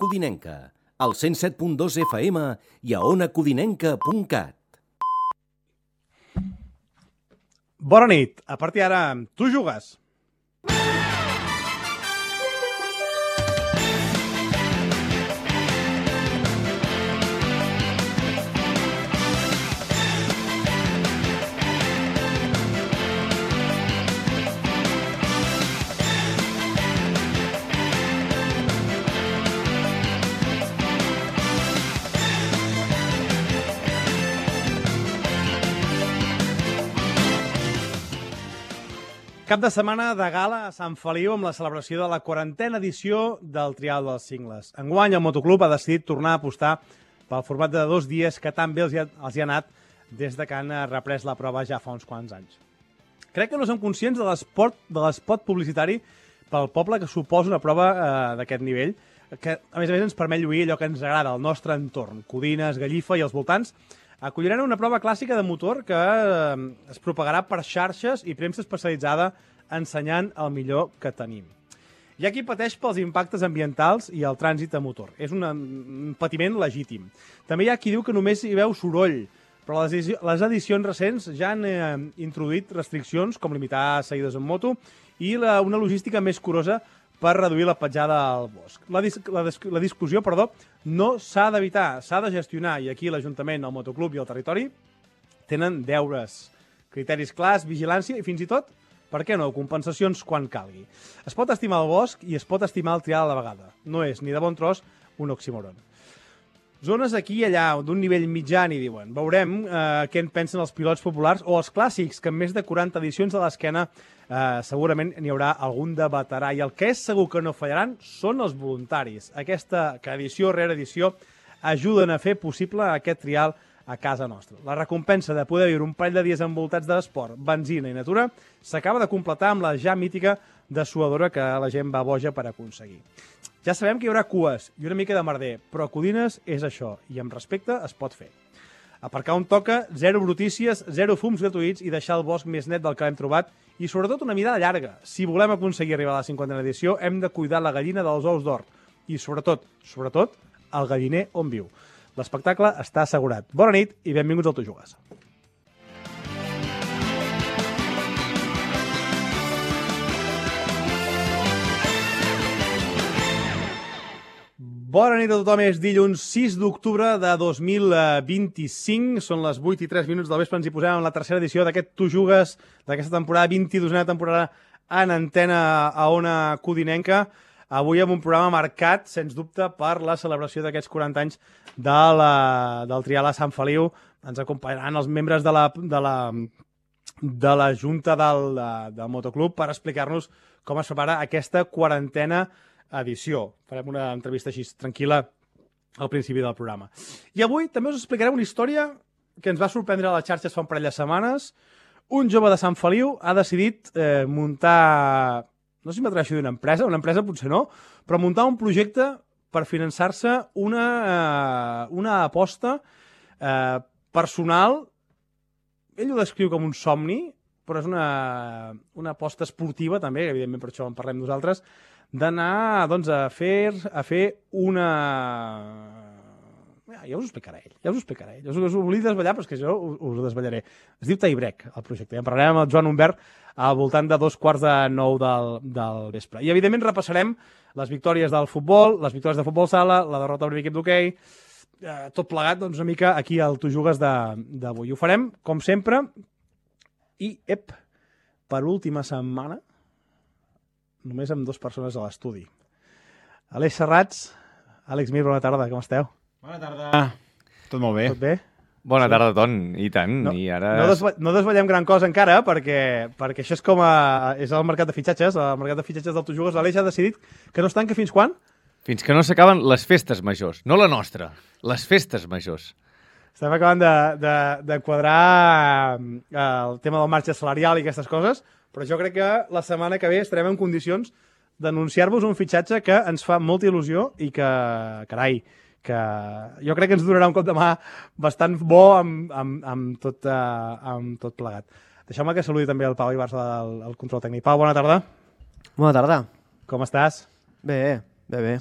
Codinenca, al 107.2 FM i a onacodinenca.cat. Bona nit. A partir d'ara, tu jugues. Cap de setmana de gala a Sant Feliu amb la celebració de la 40a edició del Trial dels Cingles. Enguany, el Motoclub ha decidit tornar a apostar pel format de 2 dies que tan bé els hi ha anat des de que han reprès la prova ja fa uns quants anys. Crec que no som conscients de l'espot publicitari pel poble que suposa una prova d'aquest nivell, que a més ens permet lluir allò que ens agrada, el nostre entorn, Codines, Gallifa i els voltants. Acolliran una prova clàssica de motor que es propagarà per xarxes i premsa especialitzada ensenyant el millor que tenim. Hi ha qui pateix pels impactes ambientals i el trànsit a motor. És un patiment legítim. També hi ha qui diu que només hi veu soroll, però les edicions recents ja han introduït restriccions com limitar seguides en moto i una logística més curosa per reduir la petjada al bosc. La discussió, no s'ha d'evitar, s'ha de gestionar, i aquí l'Ajuntament, el Motoclub i el territori tenen deures, criteris clars, vigilància i fins i tot, per què no, compensacions quan calgui. Es pot estimar el bosc i es pot estimar el trial a la vegada. No és ni de bon tros un oxímoron. Zones aquí i allà, d'un nivell mitjà, n'hi diuen. Veurem què en pensen els pilots populars o els clàssics, que en més de 40 edicions a l'esquena segurament n'hi haurà algun de veterà. I el que és segur que no fallaran són els voluntaris. Aquesta, que edició rere edició, ajuden a fer possible aquest trial a casa nostra. La recompensa de poder viure un parell de dies envoltats d'esport, benzina i natura s'acaba de completar amb la ja mítica dessuadora que la gent va boja per aconseguir. Ja sabem que hi haurà cues i una mica de merder, però Codines és això, i amb respecte es pot fer. Aparcar on toca, zero brutícies, zero fums gratuïts i deixar el bosc més net del que l'hem trobat i sobretot una mirada llarga. Si volem aconseguir arribar a la 50a edició, hem de cuidar la gallina dels ous d'or i sobretot, el galliner on viu. L'espectacle està assegurat. Bona nit i benvinguts al Tu Jugues. Bona nit a tothom, és dilluns 6 d'octubre de 2025, són les 8 i 3 minuts del vespre, ens hi posem en la tercera edició d'aquest Tu Jugues, d'aquesta temporada, 22a temporada en antena a Ona Codinenca, avui amb un programa marcat, sens dubte, per la celebració d'aquests 40 anys del Trial a Sant Feliu. Ens acompanyaran els membres de la Junta del Motoclub per explicar-nos com es prepara aquesta 40a edició. Farem una entrevista així tranquil·la al principi del programa. I avui també us explicarem una història que ens va sorprendre a les xarxes fa un parell de setmanes. Un jove de Sant Feliu ha decidit muntar, no sé si m'atreveixo a dir una empresa potser no, però muntar un projecte per finançar-se una aposta personal. Ell ho descriu com un somni, però és una aposta esportiva també, que evidentment per això en parlem nosaltres, d'anar a fer una... Ja us ho explicarà ell. Us ho volia desvetllar, però és que jo us ho desvetllaré. Es diu Taibrec, el projecte. En parlarem amb el Joan Humbert al voltant de 8:45 del vespre. I, evidentment, repassarem les victòries del futbol, les victòries de futbol sala, la derrota del primer equip d'hoquei, tot plegat, una mica aquí al Tu Jugues d'avui. Ho farem, com sempre, i, per última setmana, només amb 2 persones a l'estudi. Aleix Serrats, Àlex Mir, bona tarda, com esteu? Bona tarda. Tot molt bé. Tot bé? Bona tarda, Ton, i tant. No, I ara... no desvetllem gran cosa encara, perquè això és és el mercat de fitxatges. El mercat de fitxatges del Tu Jugues, l'Aleix ha decidit que no es tanca fins quan? Fins que no s'acaben les festes majors. No la nostra, les festes majors. Estem acabant de quadrar el tema del marge salarial i aquestes coses, però jo crec que la setmana que ve estarem en condicions d'anunciar-vos un fitxatge que ens fa molta il·lusió i que, carai, que jo crec que ens donarà un cop de mà bastant bo amb tot plegat. Deixeu-me que saludi també el Pau Ibarza del control tècnic. Pau, bona tarda. Bona tarda. Com estàs? Bé.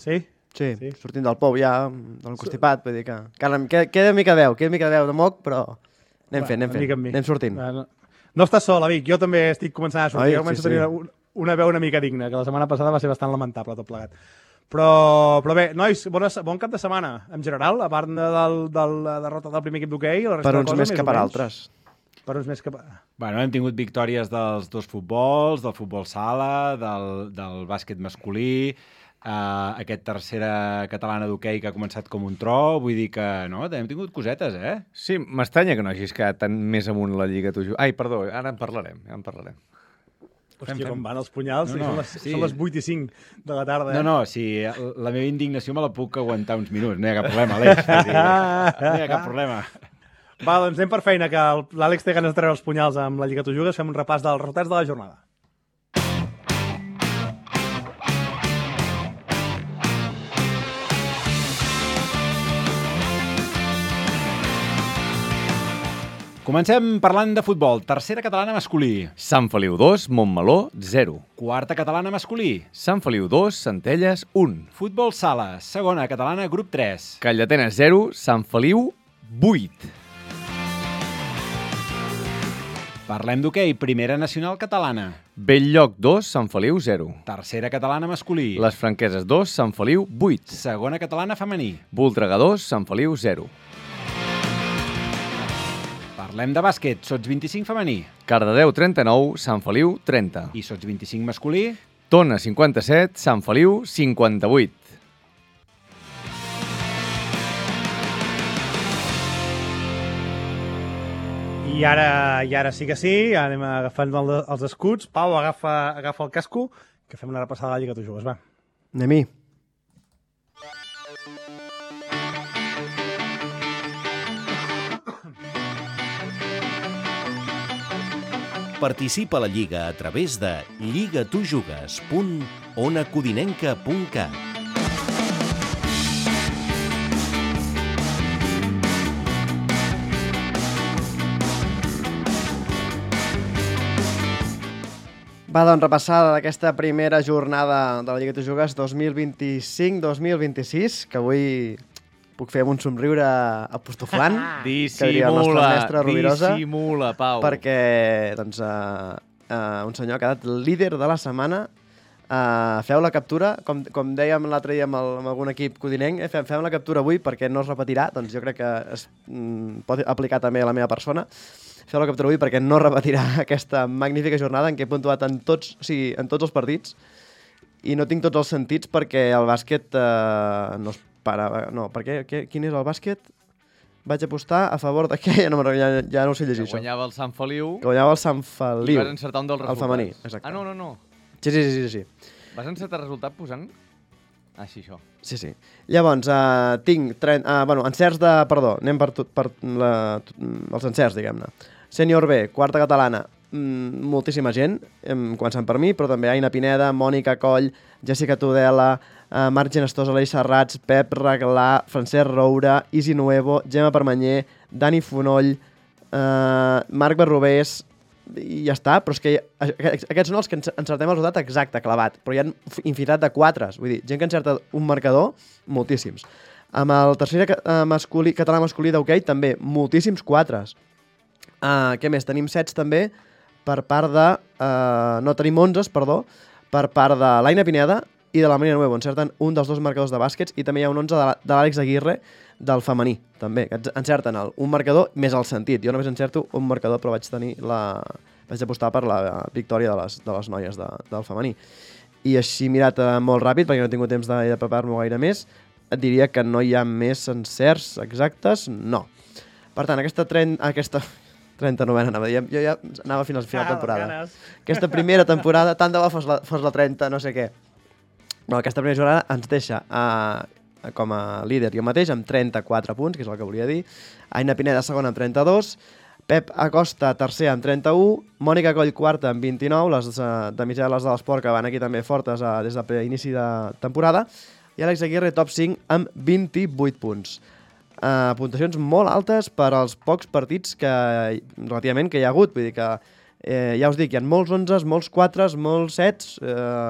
Sí? Sí, sortint del pou ja, del constipat, vull dir que queda mica de veu de moc, però anem sortint. No estàs sol, Amic, jo també estic començant a sortir, començo a tenir una veu una mica digna, que la setmana passada va ser bastant lamentable tot plegat. Però bé, nois, bon cap de setmana, en general, a part de la derrota del primer equip d'hoquei. Per uns més que per altres. Per uns més que per... Bueno, hem tingut victòries dels dos futbols, del futbol sala, del bàsquet masculí, aquest tercera catalana d'hoquei que ha començat com un tro, vull dir que no, hem tingut cosetes, eh? Sí, m'estranya que no hagis quedat tan més amunt la Lliga tu. Ai, perdó, ara en parlarem. Hòstia, com van els punyals? Són les 8:05 de la tarda. No, sí, la meva indignació me la puc aguantar uns minuts, no hi ha cap problema, Aleix. No hi ha cap problema. Va, doncs anem per feina, que l'Àlex té ganes de treure els punyals amb la Lliga Tu Jugues. Fem un repàs dels resultats de la jornada. Comencem parlant de futbol. Tercera catalana masculí. Sant Feliu 2, Montmeló 0. Quarta catalana masculí. Sant Feliu 2, Centelles 1. Futbol sala. Segona catalana, grup 3. Calldetenes 0, Sant Feliu 8. Parlem d'hoquei. Primera nacional catalana. Belllloc 2, Sant Feliu 0. Tercera catalana masculí. Les Franqueses 2, Sant Feliu 8. Segona catalana femení. Voltregà 2, Sant Feliu 0. Parlem de bàsquet. Sots 25 femení. Cardedeu 39, Sant Feliu 30. I sots 25 masculí. Tona 57, Sant Feliu 58. I ara sí que sí, anem agafant els escuts. Pau, agafa el casco, que fem una repassada de la Lliga Tu Jugues, va. Anem-hi. Participa a la Lliga a través de lligatujugues.onacodinenca.cat. Va, doncs, repassada d'aquesta primera jornada de la Lliga Tu Jugues 2025-2026, que avui puc fer amb un somriure apostoflant, que diria el nostre mestre Rovirosa, Dissimula, Pau. perquè doncs, un senyor ha quedat líder de la setmana. Feu la captura, com dèiem l'altre dia amb algun equip codinenc, fem la captura avui perquè no es repetirà, doncs jo crec que es pot aplicar també a la meva persona. Feu la captura avui perquè no repetirà aquesta magnífica jornada en què he puntuat en tots els partits i no tinc tots els sentits perquè el bàsquet no es para. No, perquè quin és el bàsquet? Vaig apostar a favor de què? Ja no ho sé llegir, això. Guanyava el Sant Feliu. Que guanyava el Sant Feliu. I vas encertar un dels resultats. El femení, exacte. Ah, no. Sí. Vas encertar el resultat posant... Ah, sí, això. Sí. Llavors, tinc... encerts de... Perdó, anem per els encerts, diguem-ne. Sènior B, quarta catalana, moltíssima gent, començant per mi, però també Aina Pineda, Mònica Coll, Jessica Tudela, Marc Genestosa, Aleix Serrats, Pep Reglà, Francesc Roura, Isi Nuevo, Gemma Permanyer, Dani Fonoll, Marc Barrobés, i ja està, però és que aquests són els que encertem el resultat exacte, clavat, però hi ha infinitat de quatres, vull dir, gent que encerta un marcador, moltíssims. Amb el tercer català masculí d'hoquei, també, moltíssims quatres. Què més? Tenim sets també per part de... no, tenim 11, perdó, per part de l'Aina Pineda i de la Marina Nuevo. Encerten un dels dos marcadors de bàsquets i també hi ha un 11 de l'Àlex Aguirre del femení, també. Encerten un marcador més el sentit. Jo només encerto un marcador, però vaig apostar per la victòria de les noies del femení. I així mirat molt ràpid, perquè no he tingut temps de preparar-m'ho gaire més, et diria que no hi ha més encerts exactes, no. Per tant, aquesta 39a, jo ja anava fins al final de temporada. Aquesta primera temporada, tant de bo fos la 30, no sé què. Però aquesta primera jornada ens deixa com a líder jo mateix amb 34 punts, que és el que volia dir. Aina Pineda segona amb 32, Pep Acosta tercer amb 31, Mònica Coll quarta amb 29, les de mitjà les de l'esport que van aquí també fortes des de l'inici de temporada, i Àlex Aguirre top 5 amb 28 punts. Puntuacions molt altes per als pocs partits relativament que hi ha hagut, vull dir que ja us dic, hi ha molts 11, molts 4, molts 7,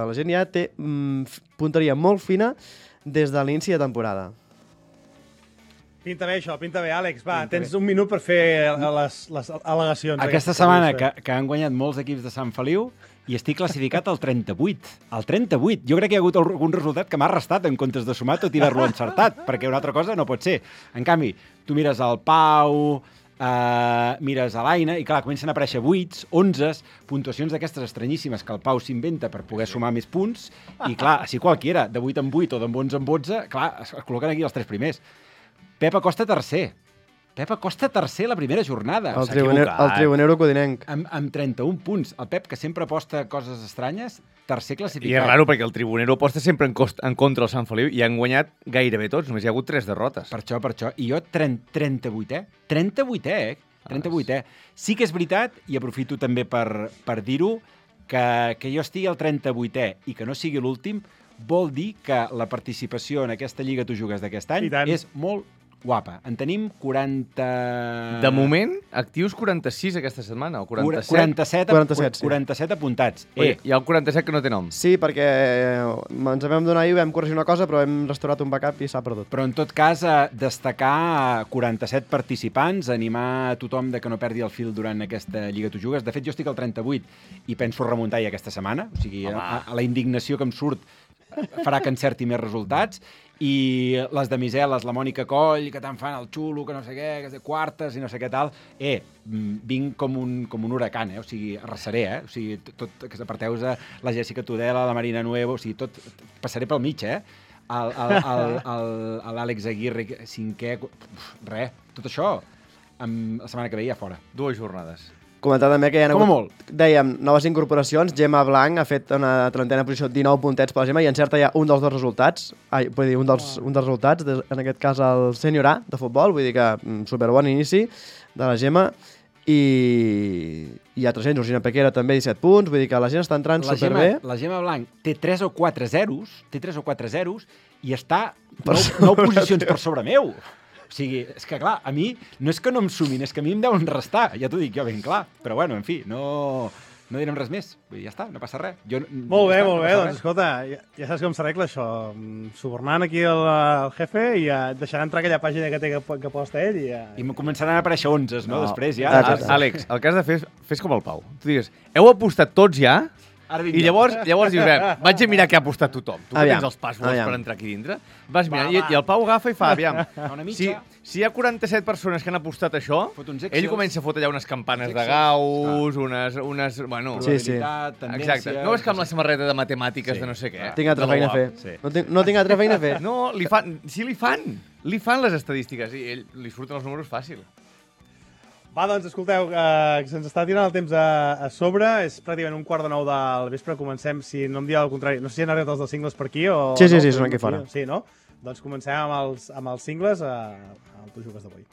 la gent ja té punteria molt fina des de l'inici de temporada. Pinta bé això, pinta bé, Àlex. Va, tens un minut per fer les al·legacions. Aquesta setmana que han guanyat molts equips de Sant Feliu i estic classificat al 38. Al 38. Jo crec que hi ha hagut algun resultat que m'ha restat en comptes de sumar tot i haver-lo encertat, perquè una altra cosa no pot ser. En canvi, tu mires el Pau, mires a l'Aina i clar, comencen a aparèixer 8s, 11s, puntuacions d'aquestes estranyíssimes que el Pau s'inventa per poder sumar més punts i clar, així qualquiera, de 8 en 8 o de 11 en 11, clar, es col·loquen aquí els 3 primers. Pep Acosta tercer. Pep Acosta tercer la primera jornada. El tribunero codinenc. Amb 31 punts. El Pep, que sempre aposta coses estranyes, tercer classificat. I és raro perquè el tribunero aposta sempre en contra el Sant Feliu i han guanyat gairebé tots, només hi ha hagut 3 derrotes. Per això. I jo 38è. 38è. Sí que és veritat, i aprofito també per dir-ho, que jo estigui al 38è i que no sigui l'últim, vol dir que la participació en aquesta Lliga Tu Jugues d'aquest any és molt guapa. En tenim 40... De moment, actius 46 aquesta setmana, o 47. 47 apuntats. Hi ha el 47 que no té nom. Sí, perquè ens vam donar i vam corregir una cosa, però hem restaurat un backup i s'ha perdut. Però en tot cas, destacar 47 participants, animar a tothom de que no perdi el fil durant aquesta Lliga Tu Jugues. De fet, jo estic al 38 i penso remuntar ja aquesta setmana. O sigui, a la indignació que em surt farà que encerti més resultats, i les de Miseles, la Mònica Coll, que tant fan el xulo, que no sé què, que és de quartes i no sé què tal, vinc com un huracan, o sigui, arrasaré, o sigui, tot, que aparteu la Jessica Tudela, la Marina Nuevo, o sigui, tot, passaré pel mig, l'Àlex Aguirre, cinquè, tot això, la setmana que ve ja fora. 2 jornades. Comentar també que hi ha hagut, molt. Dèiem, noves incorporacions. Gemma Blanc ha fet una 30a posició, 19 puntets per la Gemma, i encerta ja un dels dos resultats. Vull dir, un dels resultats, en aquest cas el sènior A de futbol, vull dir que superbon inici de la Gemma. I hi ha 300, Georgina Pequera també 17 punts, vull dir que la gent està entrant superbé. La Gemma Blanc té 3 o 4 zeros i està 9 posicions per sobre meu. O sigui, és que clar, a mi no és que no em sumin, és que a mi em deuen restar, ja t'ho dic jo ben clar. Però bueno, en fi, no direm res més. Vull dir, ja està, no passa res. Molt bé, doncs escolta, ja saps com s'arregla això. Subornant aquí el jefe i deixarà entrar aquella pàgina que posta ell i I començaran a aparèixer 11, no? Després ja. Àlex, el que has de fer fes com el Pau. Tu digues, heu apostat tots ja? I llavors dius, vaig a mirar què ha apostat tothom. Tu que tens els passwords per entrar aquí dintre, vas mirant, i el Pau agafa i fa, aviam, si hi ha 47 persones que han apostat això, ell comença a fotre allà unes campanes de Gauss, unes... Bueno, probabilitat, tendència... Exacte. No és que amb la samarreta de matemàtiques de no sé què. Tinc altra feina a fer. No tinc altra feina a fer. No, sí li fan les estadístiques i ell li surten els números fàcil. Va, doncs, escolteu, que se'ns està tirant el temps a sobre. És pràcticament 8:45 del vespre. Comencem, si no em dieu el contrari. No sé si han arribat els dels cingles per aquí o... Sí, són aquí fora. Sí, no? Doncs comencem amb els cingles al Tu Jugues d'avui.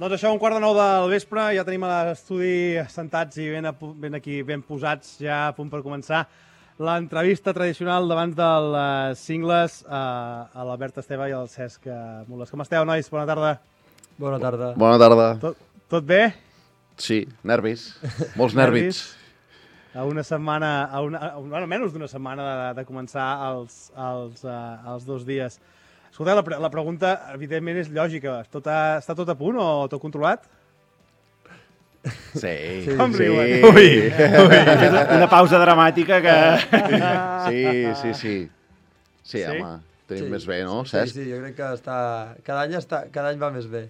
Doncs això, 8:45 del vespre, ja tenim a l'estudi sentats i ben posats, ja a punt per començar l'entrevista tradicional davant dels cingles a l'Albert Esteve i al Cesc Mules. Com esteu, nois? Bona tarda. Bona tarda. Bona tarda. Tot bé? Sí, nervis. Molts nervis. A una setmana, menys d'una setmana de començar els 2 dies. Escolta, la pregunta, evidentment, és lògica. Està tot a punt o tot controlat? Sí. Com riuen? Ui. Una pausa dramàtica que... Sí, home, tenim més bé, no, Cesc? Sí, jo crec que cada any va més bé.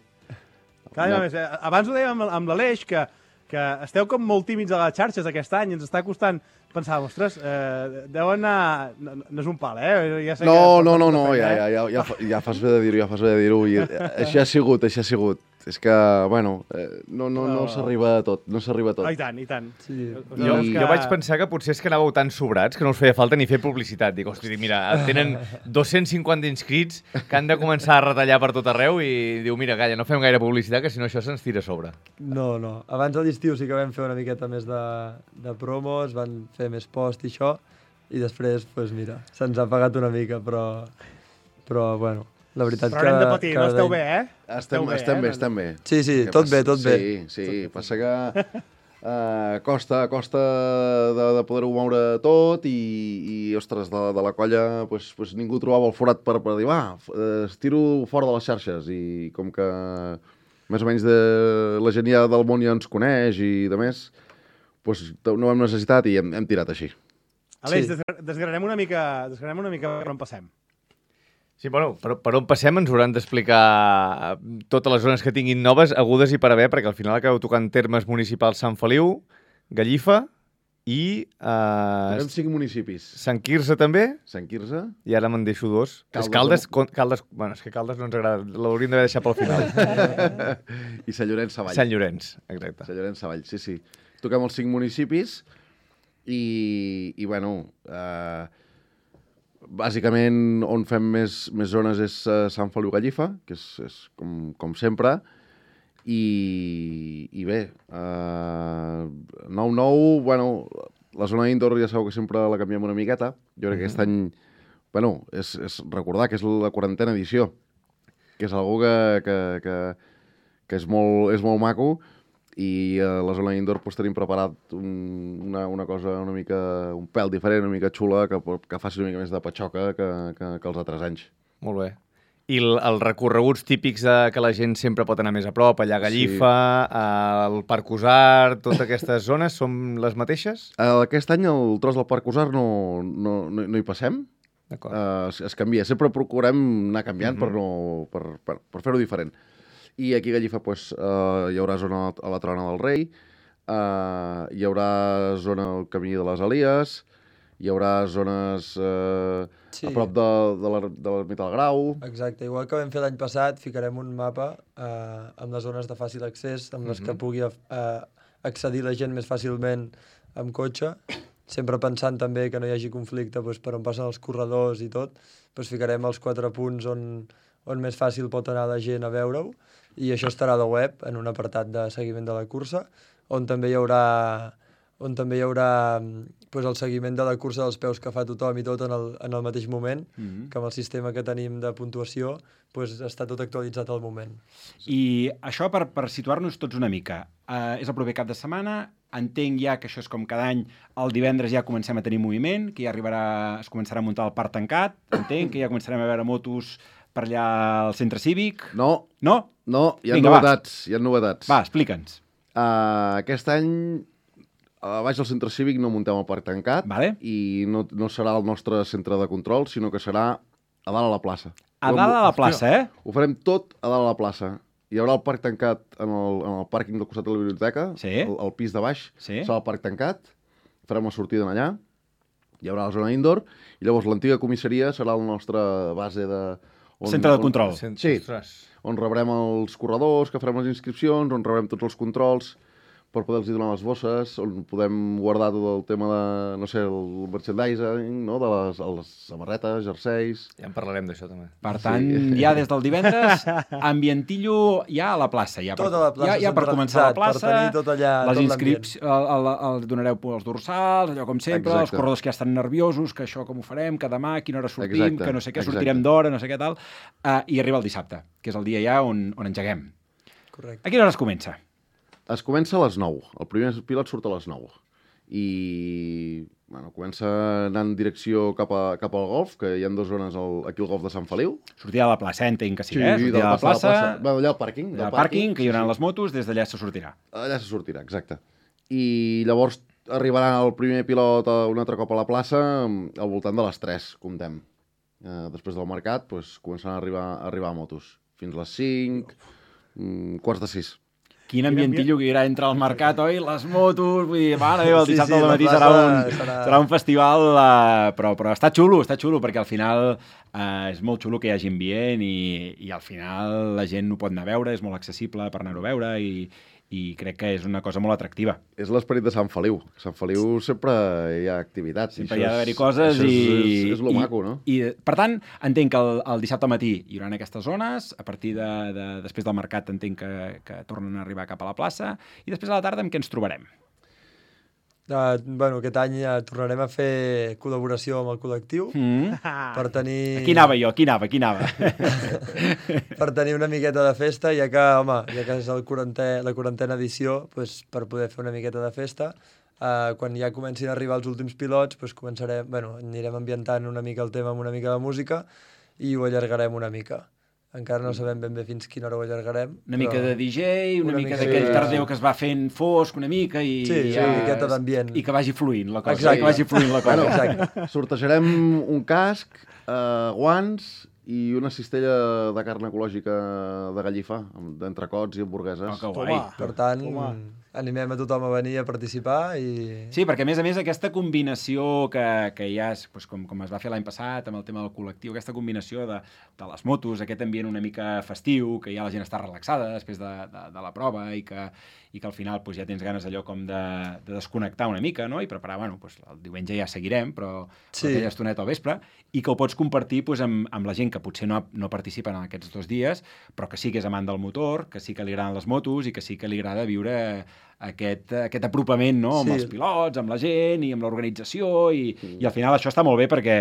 Cada any va més bé. Abans ho dèiem amb l'Aleix, que esteu com molt tímids a les xarxes aquest any, ens està costant pensar, ostres, deu anar... No és un pal, Ja sé ja fas bé de dir-ho, Així ha sigut. És que, bueno, no s'arriba a tot, I tant. Sí. Jo vaig pensar que potser és que anàveu tan sobrats que no us feia falta ni fer publicitat. Dic, hosti, mira, tenen 250 inscrits que han de començar a retallar per tot arreu i diu, mira, calla, no fem gaire publicitat, que si no això se'ns tira a sobre. No. Abans de l'estiu sí que vam fer una miqueta més de promos, van fer més post i això, i després, doncs mira, se'ns ha pagat una mica, però bueno... La veritat però haurem de patir, no esteu bé, Estem bé. Sí, tot bé. Sí, passa que costa de poder-ho moure tot i ostres, de la colla pues ningú trobava el forat per dir, estiro fora de les xarxes i com que més o menys la gent ja del món ja ens coneix i de més, pues no ho hem necessitat i hem tirat així. Aleix, desgranarem una mica per on passem. Sí, bueno, per on passem ens hauran d'explicar totes les zones que tinguin noves, agudes i per haver, perquè al final acabeu tocant termes municipals Sant Feliu, Gallifa i... Tenim 5 municipis. Sant Quirze també? Sant Quirze. I ara me'n deixo 2. Caldes. Bueno, és que Caldes no ens agrada, l'hauríem d'haver deixat pel final. I Sant Llorenç Savall. Sant Llorenç, exacte. Sant Llorenç Savall, sí. Toquem els 5 municipis i bueno... Bàsicament, on fem més zones és Sant Feliu Gallifa, que és com sempre, i bé, 9-9, bueno, la zona indoor ja sabeu que sempre la canviem una miqueta. Jo crec que aquest any, bueno, és recordar que és la 40a edició, que és algo que és molt maco, i a la zona indoor pues, tenim preparat una cosa una mica, un pèl diferent, una mica xula, que faci una mica més de patxoca que els altres anys. Molt bé. I els recorreguts típics que la gent sempre pot anar més a prop, allà a Gallifa, al Parc Usar, totes aquestes zones, són les mateixes? Aquest any el tros del Parc Usar no hi passem. Es canvia. Sempre procurem anar canviant per fer-ho diferent. I aquí a Gallifa hi haurà zona a la Trona del Rei, hi haurà zona al Camí de les Elies, hi haurà zones a prop de l'ermita del Grau... Exacte, igual que vam fer l'any passat, ficarem un mapa amb les zones de fàcil accés, amb les que pugui accedir la gent més fàcilment amb cotxe, sempre pensant també que no hi hagi conflicte per on passen els corredors i tot, ficarem els 4 punts on més fàcil pot anar la gent a veure-ho, i això estarà a la web, en un apartat de seguiment de la cursa, on també hi haurà el seguiment de la cursa dels peus que fa tothom i tot en el mateix moment, que amb el sistema que tenim de puntuació està tot actualitzat al moment. I això per situar-nos tots una mica. És el proper cap de setmana, entenc ja que això és com cada any, el divendres ja comencem a tenir moviment, que ja es començarà a muntar el parc tancat, entenc que ja començarem a veure motos per allà al centre cívic. No, hi ha novetats. Va, explica'ns. Aquest any, a baix del centre cívic no muntem el parc tancat, i no serà el nostre centre de control, sinó que serà a dalt a la plaça. A dalt a la plaça, Ho farem tot a dalt a la plaça. Hi haurà el parc tancat en el pàrquing del costat de la biblioteca, el pis de baix, serà el parc tancat, farem la sortida allà, hi haurà la zona indoor, i llavors l'antiga comissaria serà la nostra base de... Centre de control. Sí, on rebrem els corredors, que farem les inscripcions, on rebrem tots els controls per poder-los donar les bosses, on podem guardar tot el tema de, no sé, el merchandising, no? De les samarretes, jerseis... Ja en parlarem d'això, també. Per tant, ja des del divendres, ambientillo ja a la plaça. Tota la plaça ja per començar a la plaça, per tenir tot allà, les inscripcions, donareu els dorsals, allò com sempre, els corredors que ja estan nerviosos, que això com ho farem, que demà, a quina hora sortim, que no sé què, sortirem d'hora, no sé què tal, i arriba el dissabte, que és el dia ja on engeguem. Correcte. A quina hora es comença? Es comença a les 9. El primer pilot surt a les 9. I comença anant en direcció cap al golf, que hi ha 2 zones aquí al golf de Sant Feliu. Sortir a la plaça, entenc que sí, Sí, sortir a la plaça. Bueno, allà al pàrquing. Allà al pàrquing, que hi haurà les motos, des d'allà se sortirà. Allà se sortirà, exacte. I llavors arribarà el primer pilot un altre cop a la plaça al voltant de les 3, comptem. Després del mercat, començaran a arribar motos. Fins les 5, quarts de 6. Quin ambientillo que hi haurà entre el mercat, oi? Les motos, vull dir, mare meva, el dissabte al matí serà un festival, però està xulo, perquè al final és molt xulo que hi hagi ambient i al final la gent ho pot anar a veure, és molt accessible per anar-ho a veure i crec que és una cosa molt atractiva. És l'esperit de Sant Feliu. A Sant Feliu sempre hi ha activitats. Sempre hi ha d'haver-hi coses és lo maco, no? I, per tant, entenc que el dissabte al matí hi haurà aquestes zones, a partir després del mercat entenc que tornen a arribar cap a la plaça, i després a la tarda amb què ens trobarem? Aquest any tornarem a fer col·laboració amb el col·lectiu per tenir... Aquí anava. Per tenir una miqueta de festa, ja que és la 40a edició, per poder fer una miqueta de festa. Quan ja comencin a arribar els últims pilots, anirem ambientant una mica el tema amb una mica de música i ho allargarem una mica. Encara no sabem ben bé fins quina hora ho allargarem. Una mica de DJ, una mica d'aquell tardeu que es va fent fosc una mica i... Sí, una miqueta d'ambient. I que vagi fluint la cosa. Exacte. Que vagi fluint la cosa. Exacte. Sortejarem un casc, guants i una cistella de carn ecològica de Gallifa, d'entrecots i hamburgueses. Que guai. Per tant, animem a tothom a venir a participar i... Sí, perquè a més aquesta combinació que hi ha, com es va fer l'any passat amb el tema del col·lectiu, aquesta combinació de les motos, aquest ambient una mica festiu, que ja la gent està relaxada després de la prova i que al final ja tens ganes allò com de desconnectar una mica, no? I preparar, el diumenge ja seguirem, però aquella estoneta al vespre, i que ho pots compartir amb la gent que potser no participa en aquests 2 dies, però que sí que és amant del motor, que sí que li agraden les motos i que sí que li agrada viure aquest apropament, no? Amb els pilots, amb la gent i amb l'organització i al final això està molt bé perquè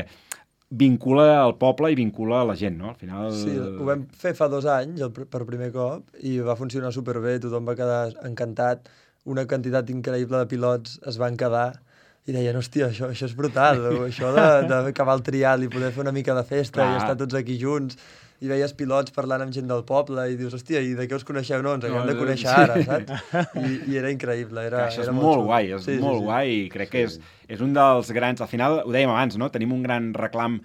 vincula el poble i vincula la gent, no? Al final... Sí, ho vam fer fa 2 anys per primer cop i va funcionar superbé, tothom va quedar encantat, una quantitat increïble de pilots es van quedar i deien, hòstia, això és brutal, això d'acabar el trial i poder fer una mica de festa i estar tots aquí junts. I veies pilots parlant amb gent del poble i dius, hòstia, i de què us coneixeu? No, ens haguem de conèixer ara, saps? I era increïble. Això és molt guai, molt guai i crec que és un dels grans... Al final, ho dèiem abans, no? Tenim un gran reclam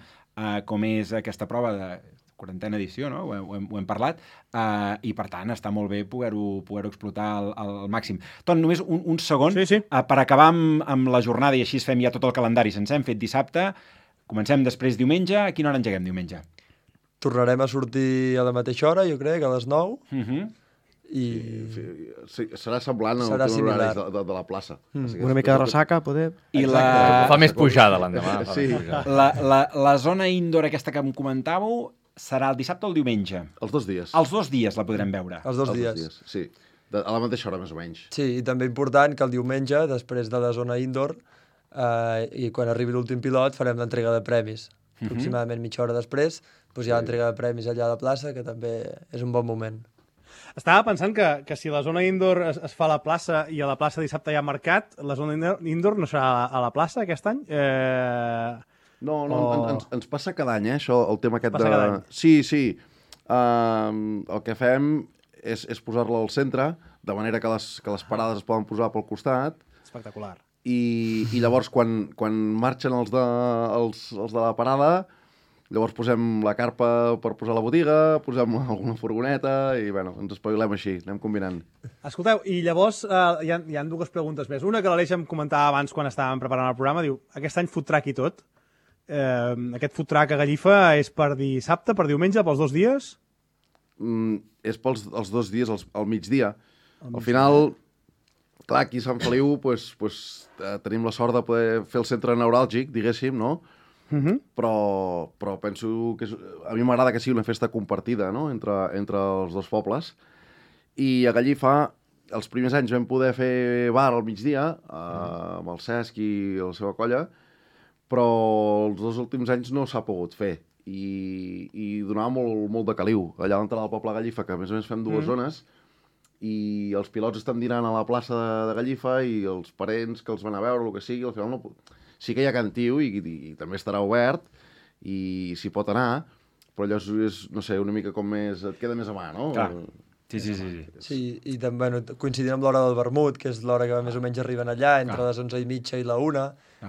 com és aquesta prova de 40a edició, no? Ho hem parlat, i per tant està molt bé poder-ho explotar al màxim. Ton, només un segon, per acabar amb la jornada i així fem ja tot el calendari. Se'ns hem fet dissabte, comencem després diumenge. A quina hora engeguem diumenge? Tornarem a sortir a la mateixa hora, jo crec, a les 9. I... Serà semblant al horari de la plaça. Una mica de ressaca, poder... Fa més pujada l'endemà. La zona indoor aquesta que em comentàveu serà el dissabte o el diumenge? Els 2 dies. Els 2 dies la podrem veure? Els 2 dies. Sí, a la mateixa hora, més o menys. Sí, i també important que el diumenge, després de la zona indoor, i quan arribi l'últim pilot, farem l'entrega de premis. Aproximadament mitja hora després, hi ha l'entrega de premis allà a la plaça, que també és un bon moment. Estava pensant que si la zona indoor es fa a la plaça i a la plaça dissabte hi ha mercat, la zona indoor no serà a la plaça aquest any? No, ens passa cada any, això, el tema aquest de... Sí. El que fem és posar-la al centre, de manera que les parades es poden posar pel costat. Espectacular. I llavors, quan marxen els de la parada, llavors posem la carpa per posar la botiga, posem alguna furgoneta i, ens espavilem així, anem combinant. Escolteu, i llavors hi ha 2 preguntes més. Una que l'Aleix em comentava abans quan estàvem preparant el programa, diu, aquest any food truck i tot. Aquest food truck a Gallifa és per dissabte, per diumenge, pels 2 dies? És pels 2 dies, al migdia. Al final, clar, aquí a Sant Feliu tenim la sort de poder fer el centre neuràlgic, diguéssim, no? Però penso que a mi m'agrada que sigui una festa compartida, no? entre els 2 pobles. I a Gallifa, els primers anys vam poder fer bar al migdia, amb el Cesc i la seva colla, però els 2 últims anys no s'ha pogut fer. I donava molt de caliu. Allà a l'entrada del poble de Gallifa, que a més fem 2 zones, i els pilots estan dinant a la plaça de Gallifa i els parents que els van a veure, el que sigui, al final no... sí que hi ha Cantiu i també estarà obert i s'hi pot anar, però allò és, no sé, una mica com més... et queda més a mà, no? Clar. Sí. Sí, i també, bueno, coincidint amb l'hora del vermut, que és l'hora que més o menys arriben allà, entre les 11:30 i la 1,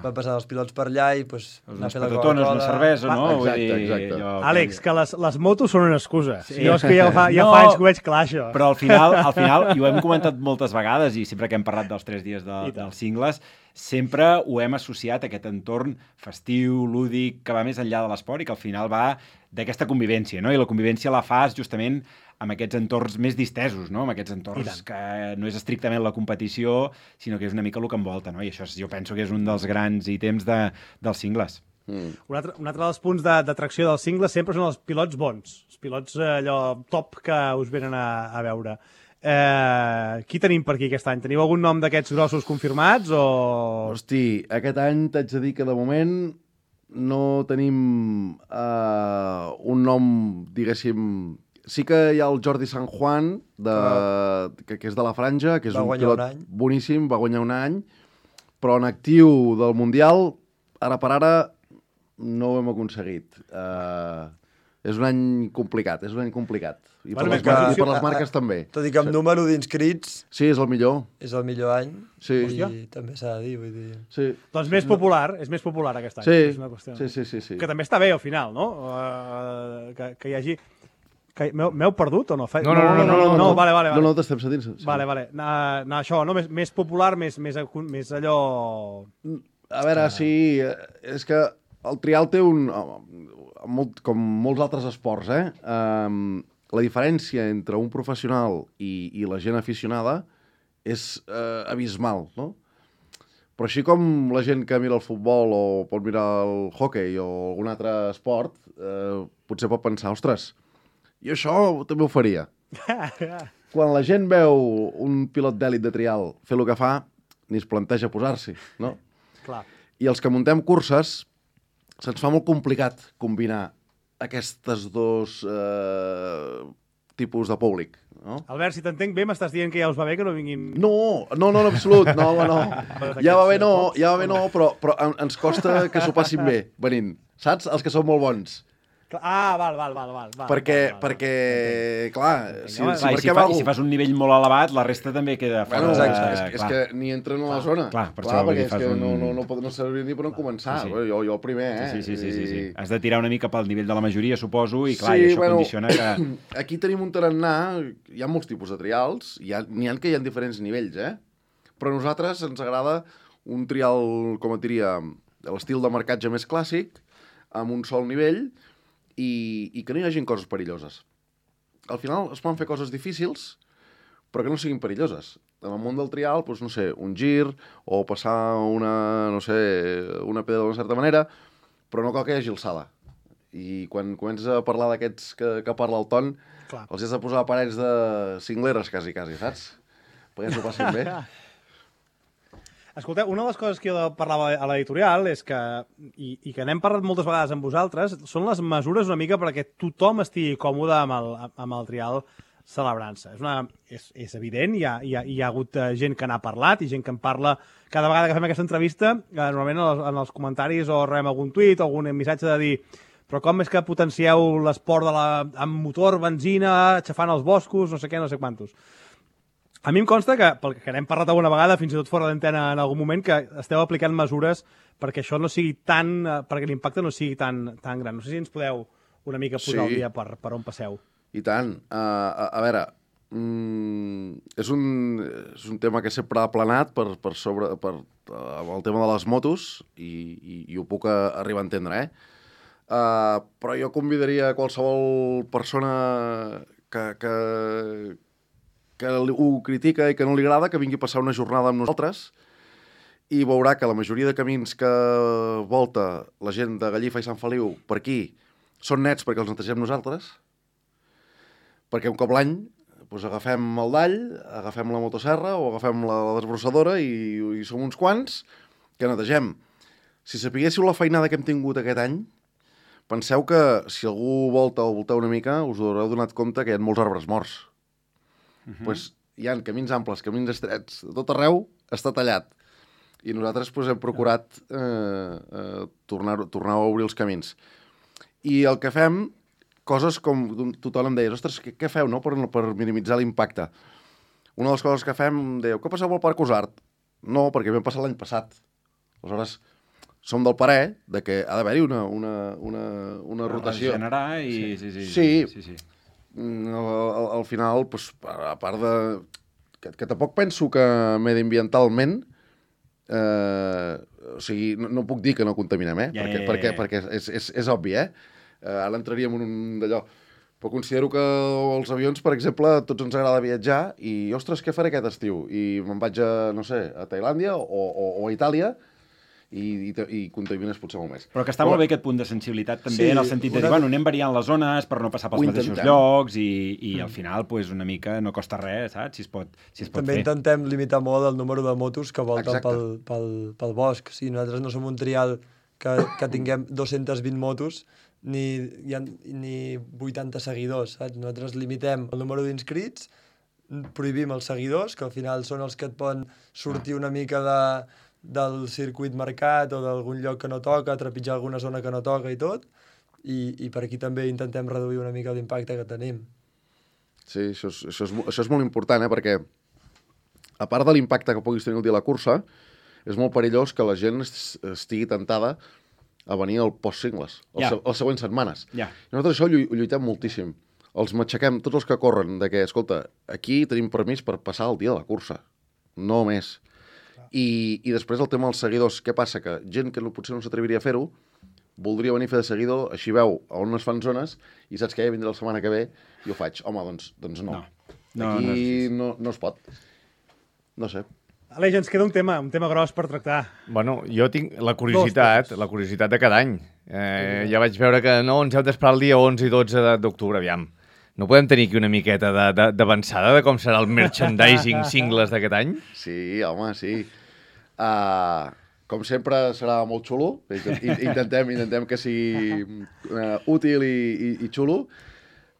van passant els pilots per allà i pues, anar a fer la Coca-Cola, una cervesa, no? Exacte. Àlex, que les motos són una excusa. Sí. Jo és que ja fa anys que ho veig clar, això. Però al final, i ho hem comentat moltes vegades, i sempre que hem parlat dels 3 dies dels cingles, sempre ho hem associat a aquest entorn festiu, lúdic, que va més enllà de l'esport i que al final va d'aquesta convivència, no? I la convivència la fas justament amb aquests entorns més distesos, no? Amb aquests entorns que no és estrictament la competició, sinó que és una mica el que envolta, no? I això jo penso que és un dels grans ítems dels cingles. Un altre dels punts d'atracció dels cingles sempre són els pilots bons, els pilots allò top que us venen a veure. Qui tenim per aquí aquest any? Teniu algun nom d'aquests grossos confirmats? Hosti, aquest any t'haig de dir que de moment no tenim un nom, diguéssim... Sí que hi ha el Jordi San Juan, que és de la Franja, que és un pilot boníssim, va guanyar un any, però en actiu del Mundial, ara per ara, no ho hem aconseguit. És un any complicat. I per les marques també. Tot i que amb número d'inscrits... Sí, és el millor. És el millor any. Sí. I també s'ha de dir, vull dir... Sí. Doncs és més popular aquest any. Sí. És una qüestió. Sí. Que també està bé al final, no? Que hi hagi... M'heu perdut o no? No, vale. No, t'estem sentint. Sí. Vale. Això, no? Més popular, més allò... A veure, sí, és que el trial té com molts altres esports, la diferència entre un professional i la gent aficionada és abismal, no? Però així com la gent que mira el futbol o pot mirar el hoquei o algun altre esport, potser pot pensar, ostres, jo això també ho faria. Quan la gent veu un pilot d'èlit de trial fer el que fa, ni es planteja posar-s'hi, no? Clar. I els que muntem curses, se'ns fa molt complicat combinar aquestes dos tipus de públic, no? Albert, si t'entenc bé, m'estàs dient que ja us va bé que no vinguin... No, en absolut, no. Ja va bé no, però ens costa que s'ho passin bé venint, saps? Els que són molt bons. Val. Perquè, clar, si fas un nivell molt elevat, la resta també queda fora. És que ni entren a la zona. Clar, per això perquè és que no servir ni per on començar. Jo el primer, Sí. Has de tirar una mica pel nivell de la majoria, suposo, i clar, i això condiciona que... Aquí tenim un tarannà, hi ha molts tipus de trials, n'hi ha que hi ha diferents nivells, però a nosaltres ens agrada un trial, com et diria, de l'estil de marcatge més clàssic, amb un sol nivell, i que no hi hagin coses perilloses. Al final es poden fer coses difícils, però que no siguin perilloses. En el món del trial, doncs, no sé, un gir o passar una pedra d'una certa manera, però no cal que hi hagi alçada. I quan comences a parlar d'aquests que parla el Ton, els has de posar parets de cingleres, quasi, saps? Perquè s'ho passin bé. Escolteu, una de les coses que jo parlava a l'editorial és que, i que n'hem parlat moltes vegades amb vosaltres, són les mesures una mica perquè tothom estigui còmode amb el trial celebrant-se. És evident, hi ha hagut gent que n'ha parlat i gent que en parla cada vegada que fem aquesta entrevista, normalment en els comentaris o rebem algun tuit o algun missatge de dir però com és que potencieu l'esport amb motor, benzina, aixafant els boscos, no sé què, no sé quantos. A mi em consta que, pel que n'hem parlat alguna vegada, fins i tot fora d'antena en algun moment, que esteu aplicant mesures perquè això no sigui perquè l'impacte no sigui tan gran. No sé si ens podeu una mica posar al dia per on passeu. I tant. A veure, és un tema que sempre ha planat per el tema de les motos i ho puc arribar a entendre, però jo convidaria qualsevol persona que ho critica i que no li agrada, que vingui a passar una jornada amb nosaltres i veurà que la majoria de camins que volta la gent de Gallifa i Sant Feliu per aquí són nets perquè els netegem nosaltres, perquè un cop l'any doncs agafem el dall, agafem la motosserra o agafem la desbrossadora i som uns quants que netegem. Si sapiguéssiu la feinada que hem tingut aquest any, penseu que si algú volta o volteu una mica us haureu donat compte que hi ha molts arbres morts. Pues hi ha camins amples, camins estrets, de tot arreu està tallat. i nosaltres doncs, hem procurat tornar a obrir els camins. I el que fem, coses com tothom em deia, ostres, què feu no? per minimitzar l'impacte? Una de les coses que fem, dèieu, què passeu al Parc Usart? No, perquè vam passar l'any passat. Aleshores, som del parer de que ha d'haver-hi una rotació. Generar i... Sí. Al final, doncs, a part de... Que tampoc penso que mediambientalment o sigui, no puc dir que no contaminem, perquè és obvi, ara entraríem en un d'allò. Però considero que els avions, per exemple, a tots ens agrada viatjar i, ostres, què faré aquest estiu? I me'n vaig a, no sé, a Tailàndia o a Itàlia i contamines potser molt més. Però que està molt bé aquest punt de sensibilitat també, en el sentit de dir, bueno, anem variant les zones per no passar pels mateixos llocs i al final, pues, una mica no costa res, saps? Si es pot també fer. Intentem limitar molt el número de motos que volten pel bosc. Si nosaltres no som un trial que tinguem 220 motos ni 80 seguidors, saps? Nosaltres limitem el número d'inscrits, prohibim els seguidors, que al final són els que et poden sortir una mica del circuit marcat o d'algun lloc que no toca, trepitjar alguna zona que no toca i tot, i per aquí també intentem reduir una mica l'impacte que tenim. Sí, això és molt important, perquè a part de l'impacte que puguis tenir el dia de la cursa, és molt perillós que la gent estigui tentada a venir al post-cingles, les següents setmanes. Nosaltres això ho lluitem moltíssim. Els matxaquem, tots els que corren, de que, escolta, aquí tenim permís per passar el dia de la cursa, no més. I després el tema dels seguidors, què passa? Que gent que potser no s'atreviria a fer-ho, voldria venir a fer de seguidor, així veu on es fan zones, i saps que ja vindrà la setmana que ve i ho faig. Home, doncs no. Aquí no es pot. No sé. Aleix, ens queda un tema gros per tractar. Bueno, jo tinc la curiositat de cada any. Ja vaig veure que no, ens heu d'esperar el dia 11 i 12 d'octubre, aviam. No podem tenir aquí una miqueta d'avançada de com serà el merchandising singles d'aquest any? Sí, home, sí. Com sempre serà molt xulo. Intentem que sigui útil i xulo.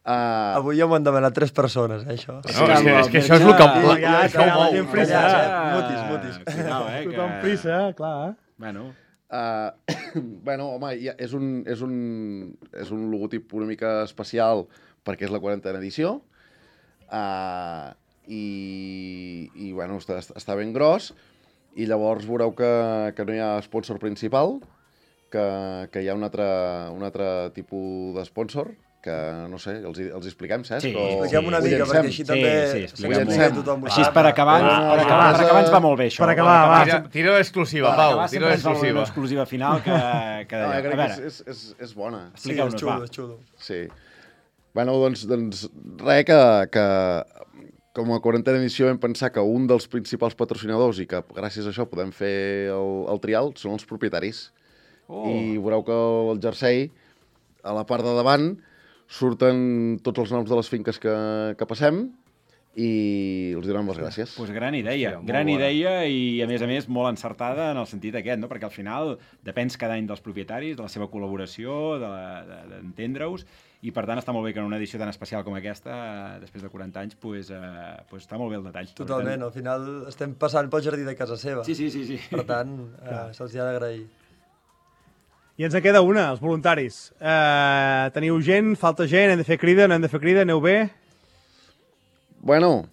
Avui ja m'ho han demanat 3 persones, això. És que això és el que... Això ho mou. Mutis. Tothom prisa, clar. Bueno, home, és un logotip una mica especial perquè és la 40a edició i bueno, està ben gros i llavors veureu que no hi ha sponsor principal, que hi ha un altre tipus d'esponsor que, no sé, els expliquem, Cesc? Sí, expliquem una mica, perquè així també tothom ho sap. Així per acabar ens va molt bé, això. Per acabar, va. Tira l'exclusiva, Pau, tira l'exclusiva. L'exclusiva final que... crec que és bona. Sí, és xulo. Sí. Bueno, doncs res, que com a 40a edició vam pensar que un dels principals patrocinadors i que gràcies a això podem fer el trial són els propietaris. I veureu que el jersei, a la part de davant, surten tots els noms de les finques que passem i els donem les gràcies. Doncs gran idea i a més molt encertada en el sentit aquest, no? Perquè al final depens cada any dels propietaris, de la seva col·laboració, d'entendre-us, i per tant està molt bé que en una edició tan especial com aquesta, després de 40 anys, està molt bé el detall. Totalment, al final estem passant pel jardí de casa seva. Sí. Per tant, se'ls ha d'agrair. I ens en queda una, els voluntaris. Teniu gent, falta gent, hem de fer crida, no hem de fer crida, aneu bé? Bueno...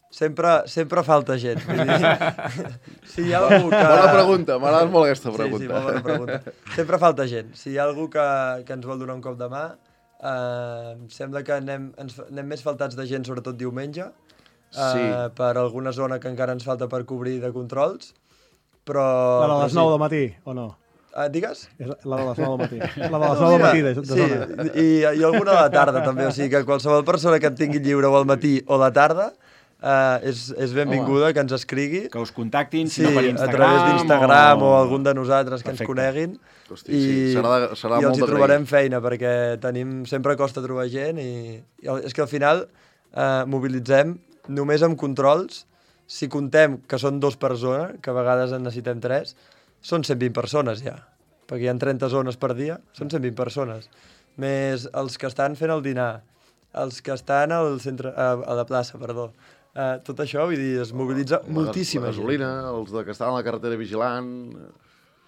Sempre falta gent. Si hi ha algú que... Bona pregunta, m'agrada molt aquesta pregunta. Sí, molt bona pregunta. Sempre falta gent. Si hi ha algú que ens vol donar un cop de mà, sembla que anem més faltats de gent, sobretot diumenge, per alguna zona que encara ens falta per cobrir de controls, però... La de les 9 del matí, o no? Digues? La de les 9 del matí. La de les 9 del matí, de zona. Sí, i alguna a la tarda, també. O sigui que qualsevol persona que et tingui lliure o al matí o a la tarda és benvinguda, que ens escrigui. Que us contactin, si no per Instagram. A través d'Instagram o algun de nosaltres que ens coneguin. Hosti, serà i els hi trobarem feina, perquè sempre costa trobar gent i és que al final mobilitzem només amb controls. Si contem que són 2 per zona, que a vegades en necessitem 3, són 120 persones ja, perquè hi ha 30 zones per dia, són 120 persones. Més els que estan fent el dinar, els que estan al centre, a la plaça, perdó. Tot això, vull dir, es mobilitza moltíssima gent. La gasolina, els que estan a la carretera vigilant...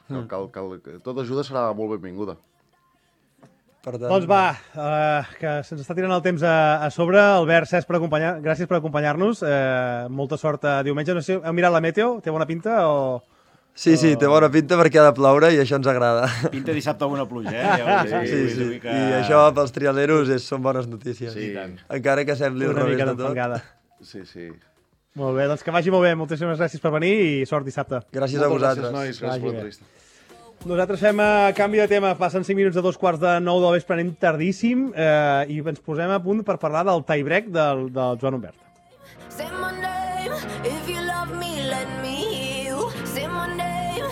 Tota ajuda serà molt benvinguda. Doncs va, que se'ns està tirant el temps a sobre. Albert, Cesc, gràcies per acompanyar-nos. Molta sort diumenge. No sé, heu mirat la meteo? Té bona pinta o...? Sí, té bona pinta perquè ha de ploure i això ens agrada. Pinta dissabte alguna pluja, eh? Sí. I això pels trialeros són bones notícies. Sí. Encara que sembli el revés de tot. Sí. Molt bé, doncs que vagi molt bé. Moltíssimes gràcies per venir i sort dissabte. Gràcies a vosaltres. Gràcies, nois. Gràcies per l'entrevista. Nosaltres fem canvi de tema. Passen 5 minuts de 2:45 del vespre, anem tardíssim i ens posem a punt per parlar del tie-break del Joan Humbert. Say my name, if you love me, let me hear you. Say my name,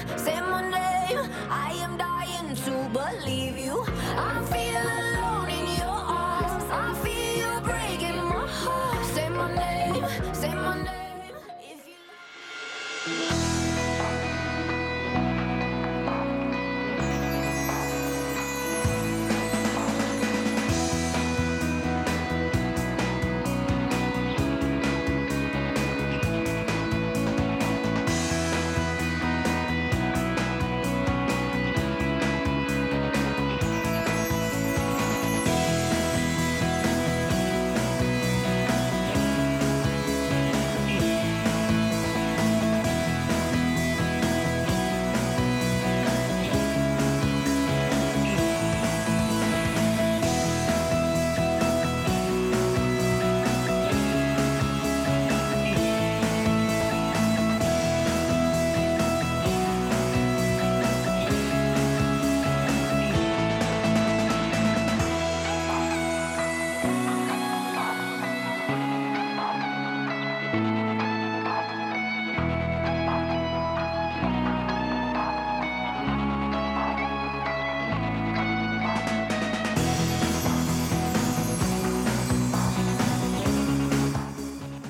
I am dying to believe you. I feel alone in your arms, I feel you breaking my heart. Say my name, if you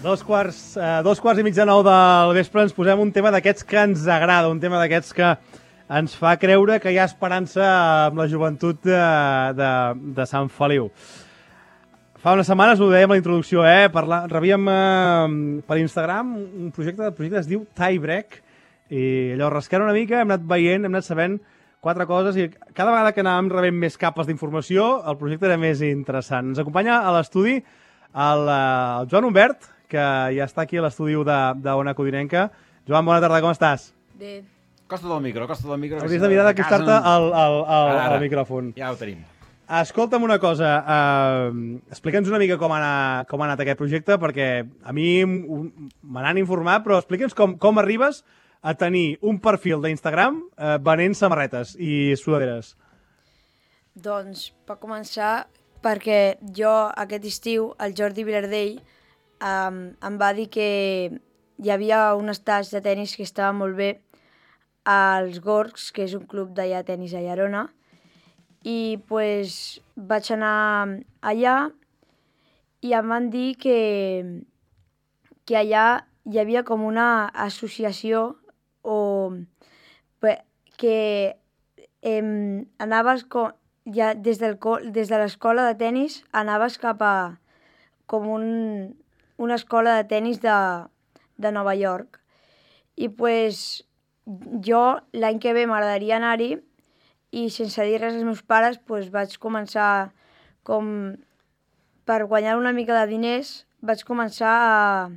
Dos quarts i mig de 9 del vespre ens posem un tema d'aquests que ens agrada, un tema d'aquests que ens fa creure que hi ha esperança amb la joventut de Sant Feliu. Fa unes setmanes, ho dèiem a la introducció, rebíem per Instagram un projecte que es diu Tie-Break, i allò, rascant una mica, hem anat veient, hem anat sabent 4 coses, i cada vegada que anàvem rebent més capes d'informació, el projecte era més interessant. Ens acompanya a l'estudi el Joan Humbert, que ja està aquí a l'estudi d'Ona Codinenca. Joan, bona tarda, com estàs? Bé. Costa del micro. Hauries de mirar d'acostar-te al micròfon. Ja ho tenim. Escolta'm una cosa, explica'ns una mica com ha anat aquest projecte, perquè a mi me n'han informat, però explica'ns com arribes a tenir un perfil d'Instagram venent samarretes i sudaderes. Doncs, per començar, perquè jo aquest estiu, el Jordi Vilardell, em va dir que hi havia un estatge de tennis que estava molt bé als Gorgs, que és un club d'allà de tennis a Llerona, i pues, vaig anar allà i em van dir que allà hi havia com una associació que anaves ja des de l'escola de tennis anaves cap a com una escola de tennis de Nova York. I pues, jo l'any que ve m'agradaria anar-hi i sense dir res als meus pares pues, vaig començar per guanyar una mica de diners, vaig començar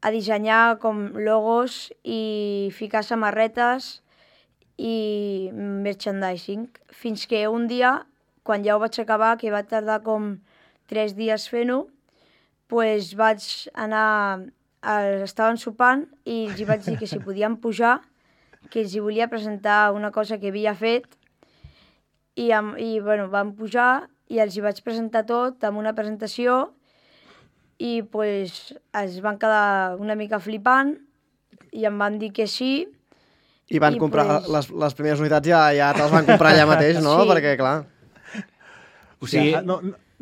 a dissenyar com logos i ficar samarretes i merchandising, fins que un dia, quan ja ho vaig acabar, que va tardar com 3 dies fent-ho, pues vaig anar, estaven sopant i els vaig dir que si podien pujar, que els volia presentar una cosa que havia fet i bueno, van pujar i els vaig presentar tot amb una presentació i pues, es van quedar una mica flipant i em van dir que sí. I van comprar pues... les primeres unitats ja te les van comprar allà mateix, no? Sí. Perquè, clar... O sigui,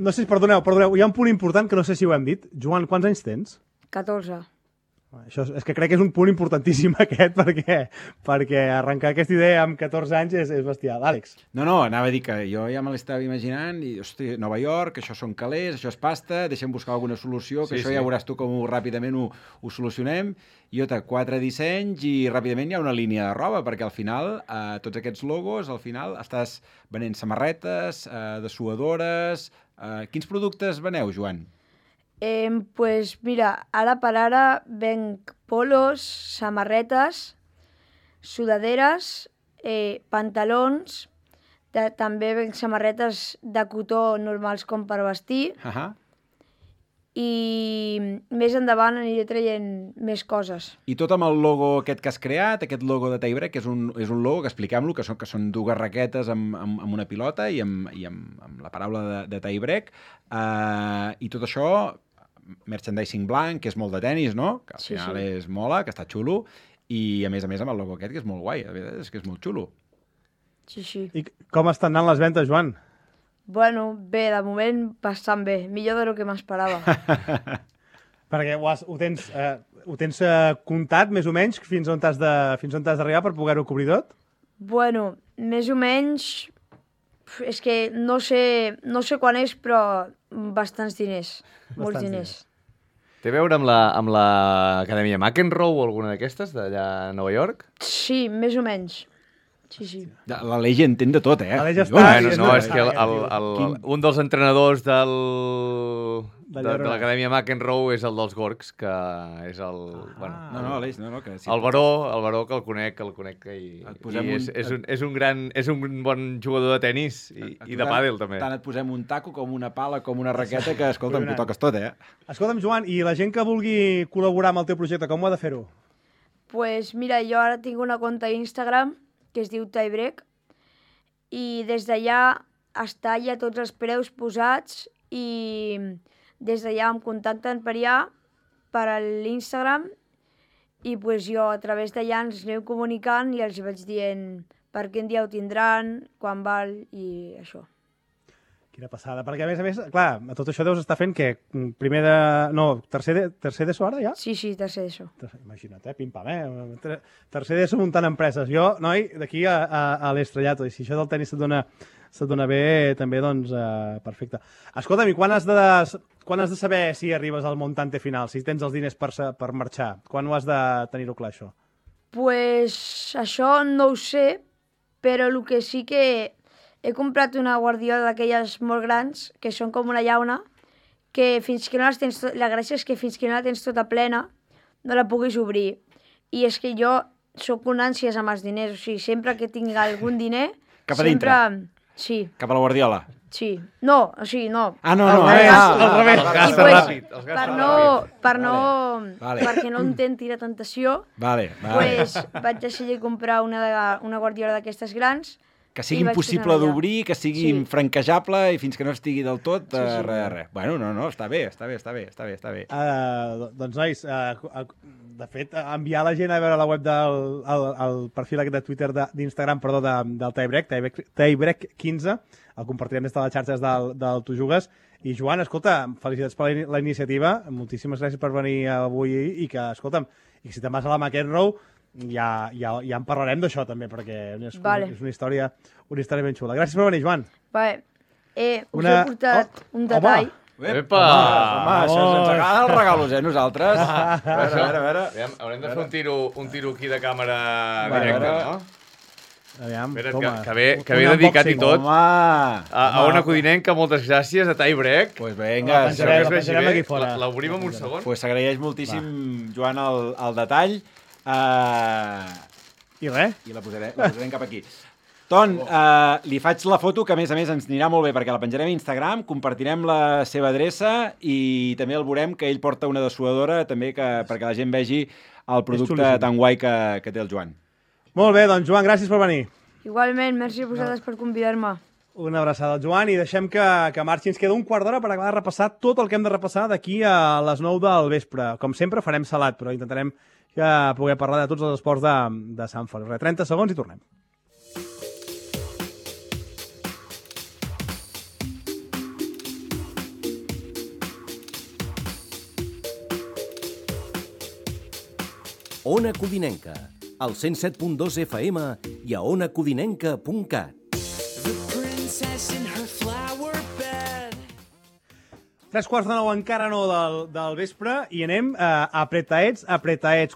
no sé, perdoneu, hi ha un punt important que no sé si ho hem dit. Joan, quants anys tens? 14. Això és que crec que és un punt importantíssim aquest, perquè arrencar aquesta idea amb 14 anys és bestial. Àlex. No, anava a dir que jo ja me l'estava imaginant i, hosti, Nova York, això són calés, això és pasta, deixem buscar alguna solució, que això ja veuràs tu com ràpidament ho solucionem. Jo té 4 dissenys i ràpidament hi ha una línia de roba, perquè al final, tots aquests logos, al final estàs venent samarretes, dessuadores... Quins productes veneu, Joan? Pues mira, ara per ara venc polos, samarretes, sudaderes, pantalons, també venc samarretes de cotó normals com per vestir, i més endavant aniré traient més coses. I tot amb el logo aquest que has creat, aquest logo de Tie-Break, que és un logo, que expliquem-lo, que són 2 raquetes amb una pilota i amb la paraula de Tie-Break, i tot això, merchandising blanc, que és molt de tenis, no? Que al final és mola, que està xulo, i a més amb el logo aquest, que és molt guai, la veritat és que és molt xulo. Sí. I com estan anant les ventes, Joan? Bueno, bé, de moment bastant bé, millor del que m'esperava. Perquè ho tens comptat, més o menys, fins on t'has d'arribar per poder-ho cobrir tot? Bueno, més o menys, és que no sé quan és, però bastants diners, molts diners. Té a veure amb l'Acadèmia McEnroe o alguna d'aquestes, d'allà a Nova York? Sí, més o menys. Sí. L'Aleix entén de tot, eh? L'Aleix està... No, és que un dels entrenadors de l'Acadèmia McEnroe és el dels Gorgs, que és el... No, Aleix, no. El Baró, que el conec, és un bon jugador de tenis i de pàdel, també. Tant et posem un taco com una pala, com una raqueta, que, escolta'm, t'ho toques tot, eh? Escolta'm, Joan, i la gent que vulgui col·laborar amb el teu projecte, com ho ha de fer-ho? Pues mira, jo ara tinc una compte a Instagram que es diu Tie-Break, i des d'allà està ja tots els preus posats i des d'allà em contacten per allà, per l'Instagram, i pues jo a través d'allà ens aneu comunicant i els vaig dient per quin dia ho tindran, quan val i això. Quina passada, perquè a més, clar, a tot això deus estar fent que tercer d'ESO ara ja? Sí, tercer d'ESO. Imagina't, pim-pam, tercer d'ESO muntant empreses. Jo, noi, d'aquí a l'estrellato, i si això del tenis se't dona bé, també, doncs, perfecte. Escolta'm, i quan has de saber si arribes al montante final, si tens els diners per marxar? Quan ho has de tenir-ho clar, això? Pues això no ho sé, però el que sí que... He comprat una guardiola d'aquelles molt grans, que són com una llauna, que fins que no les tens... La gràcia és que fins que no la tens tota plena, no la puguis obrir. I és que jo sóc un ànsies amb els diners, o sigui, sempre que tinc algun diner... Cap a dintre? Sí. Cap a la guardiola? Sí. No, o sigui, no. Ah, no, al revés. Perquè no intenti la tentació, pues vaig decidir comprar una guardiola d'aquestes grans. Que sigui impossible d'obrir, que sigui infranquejable i fins que no estigui del tot, res. Bueno, no, està bé. Doncs, nois, de fet, enviar la gent a veure la web del perfil aquest de Twitter, d'Instagram, perdó, del Tie-Break 15, el compartirem des de les xarxes del Tu Jugues. I, Joan, escolta, felicitats per la iniciativa, moltíssimes gràcies per venir avui i que, escolta'm, i si te'n vas a la McEnroe, ja en parlarem d'això també, perquè és una història ben xula. Gràcies per venir, Joan. Vale. Us he portat un detall. Epa! Home, això ens agrada els regalos, nosaltres. A veure. Haurem de fer un tiro aquí de càmera directa, no? Aviam, que ve dedicat i tot a Ona Codinenca, moltes gràcies, a Tie-Break. Pues vinga, la penjarem aquí fora. L'obrim en un segon. Pues s'agraeix moltíssim, Joan, el detall. I res? I la posarem cap aquí. Ton, li faig la foto, que a més ens anirà molt bé, perquè la penjarem a Instagram, compartirem la seva adreça i també el veurem que ell porta una dessuadora, també perquè la gent vegi el producte tan guai que té el Joan. Molt bé, doncs, Joan, gràcies per venir. Igualment, merci a vosaltres per convidar-me. Una abraçada al Joan i deixem que marxi. Ens queda un quart d'hora per acabar de repassar tot el que hem de repassar d'aquí a les 9 del vespre. Com sempre, farem salat, però intentarem poder parlar de tots els esports de Sant Feliu. 30 segons i tornem. Ona Codinenca, al 107.2 FM i a onacodinenca.cat. 9:03 encara no del vespre i anem apretaets.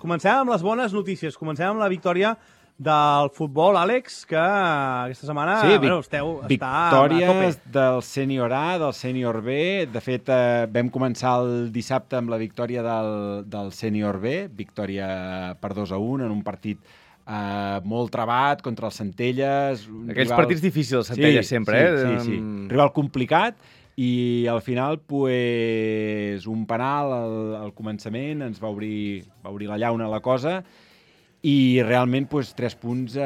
Comencem amb les bones notícies. Comencem amb la victòria del futbol, Àlex, que aquesta setmana victòries del sènior A, del sènior B. De fet, vam començar el dissabte amb la victòria del sènior B, victòria per 2-1 en un partit molt trebat contra el Centelles. Aquells partits difícils, Centelles, sempre. Sí. Rival complicat. I al final, pues, un penal al començament ens va obrir la llauna a la cosa i realment pues, 3 punts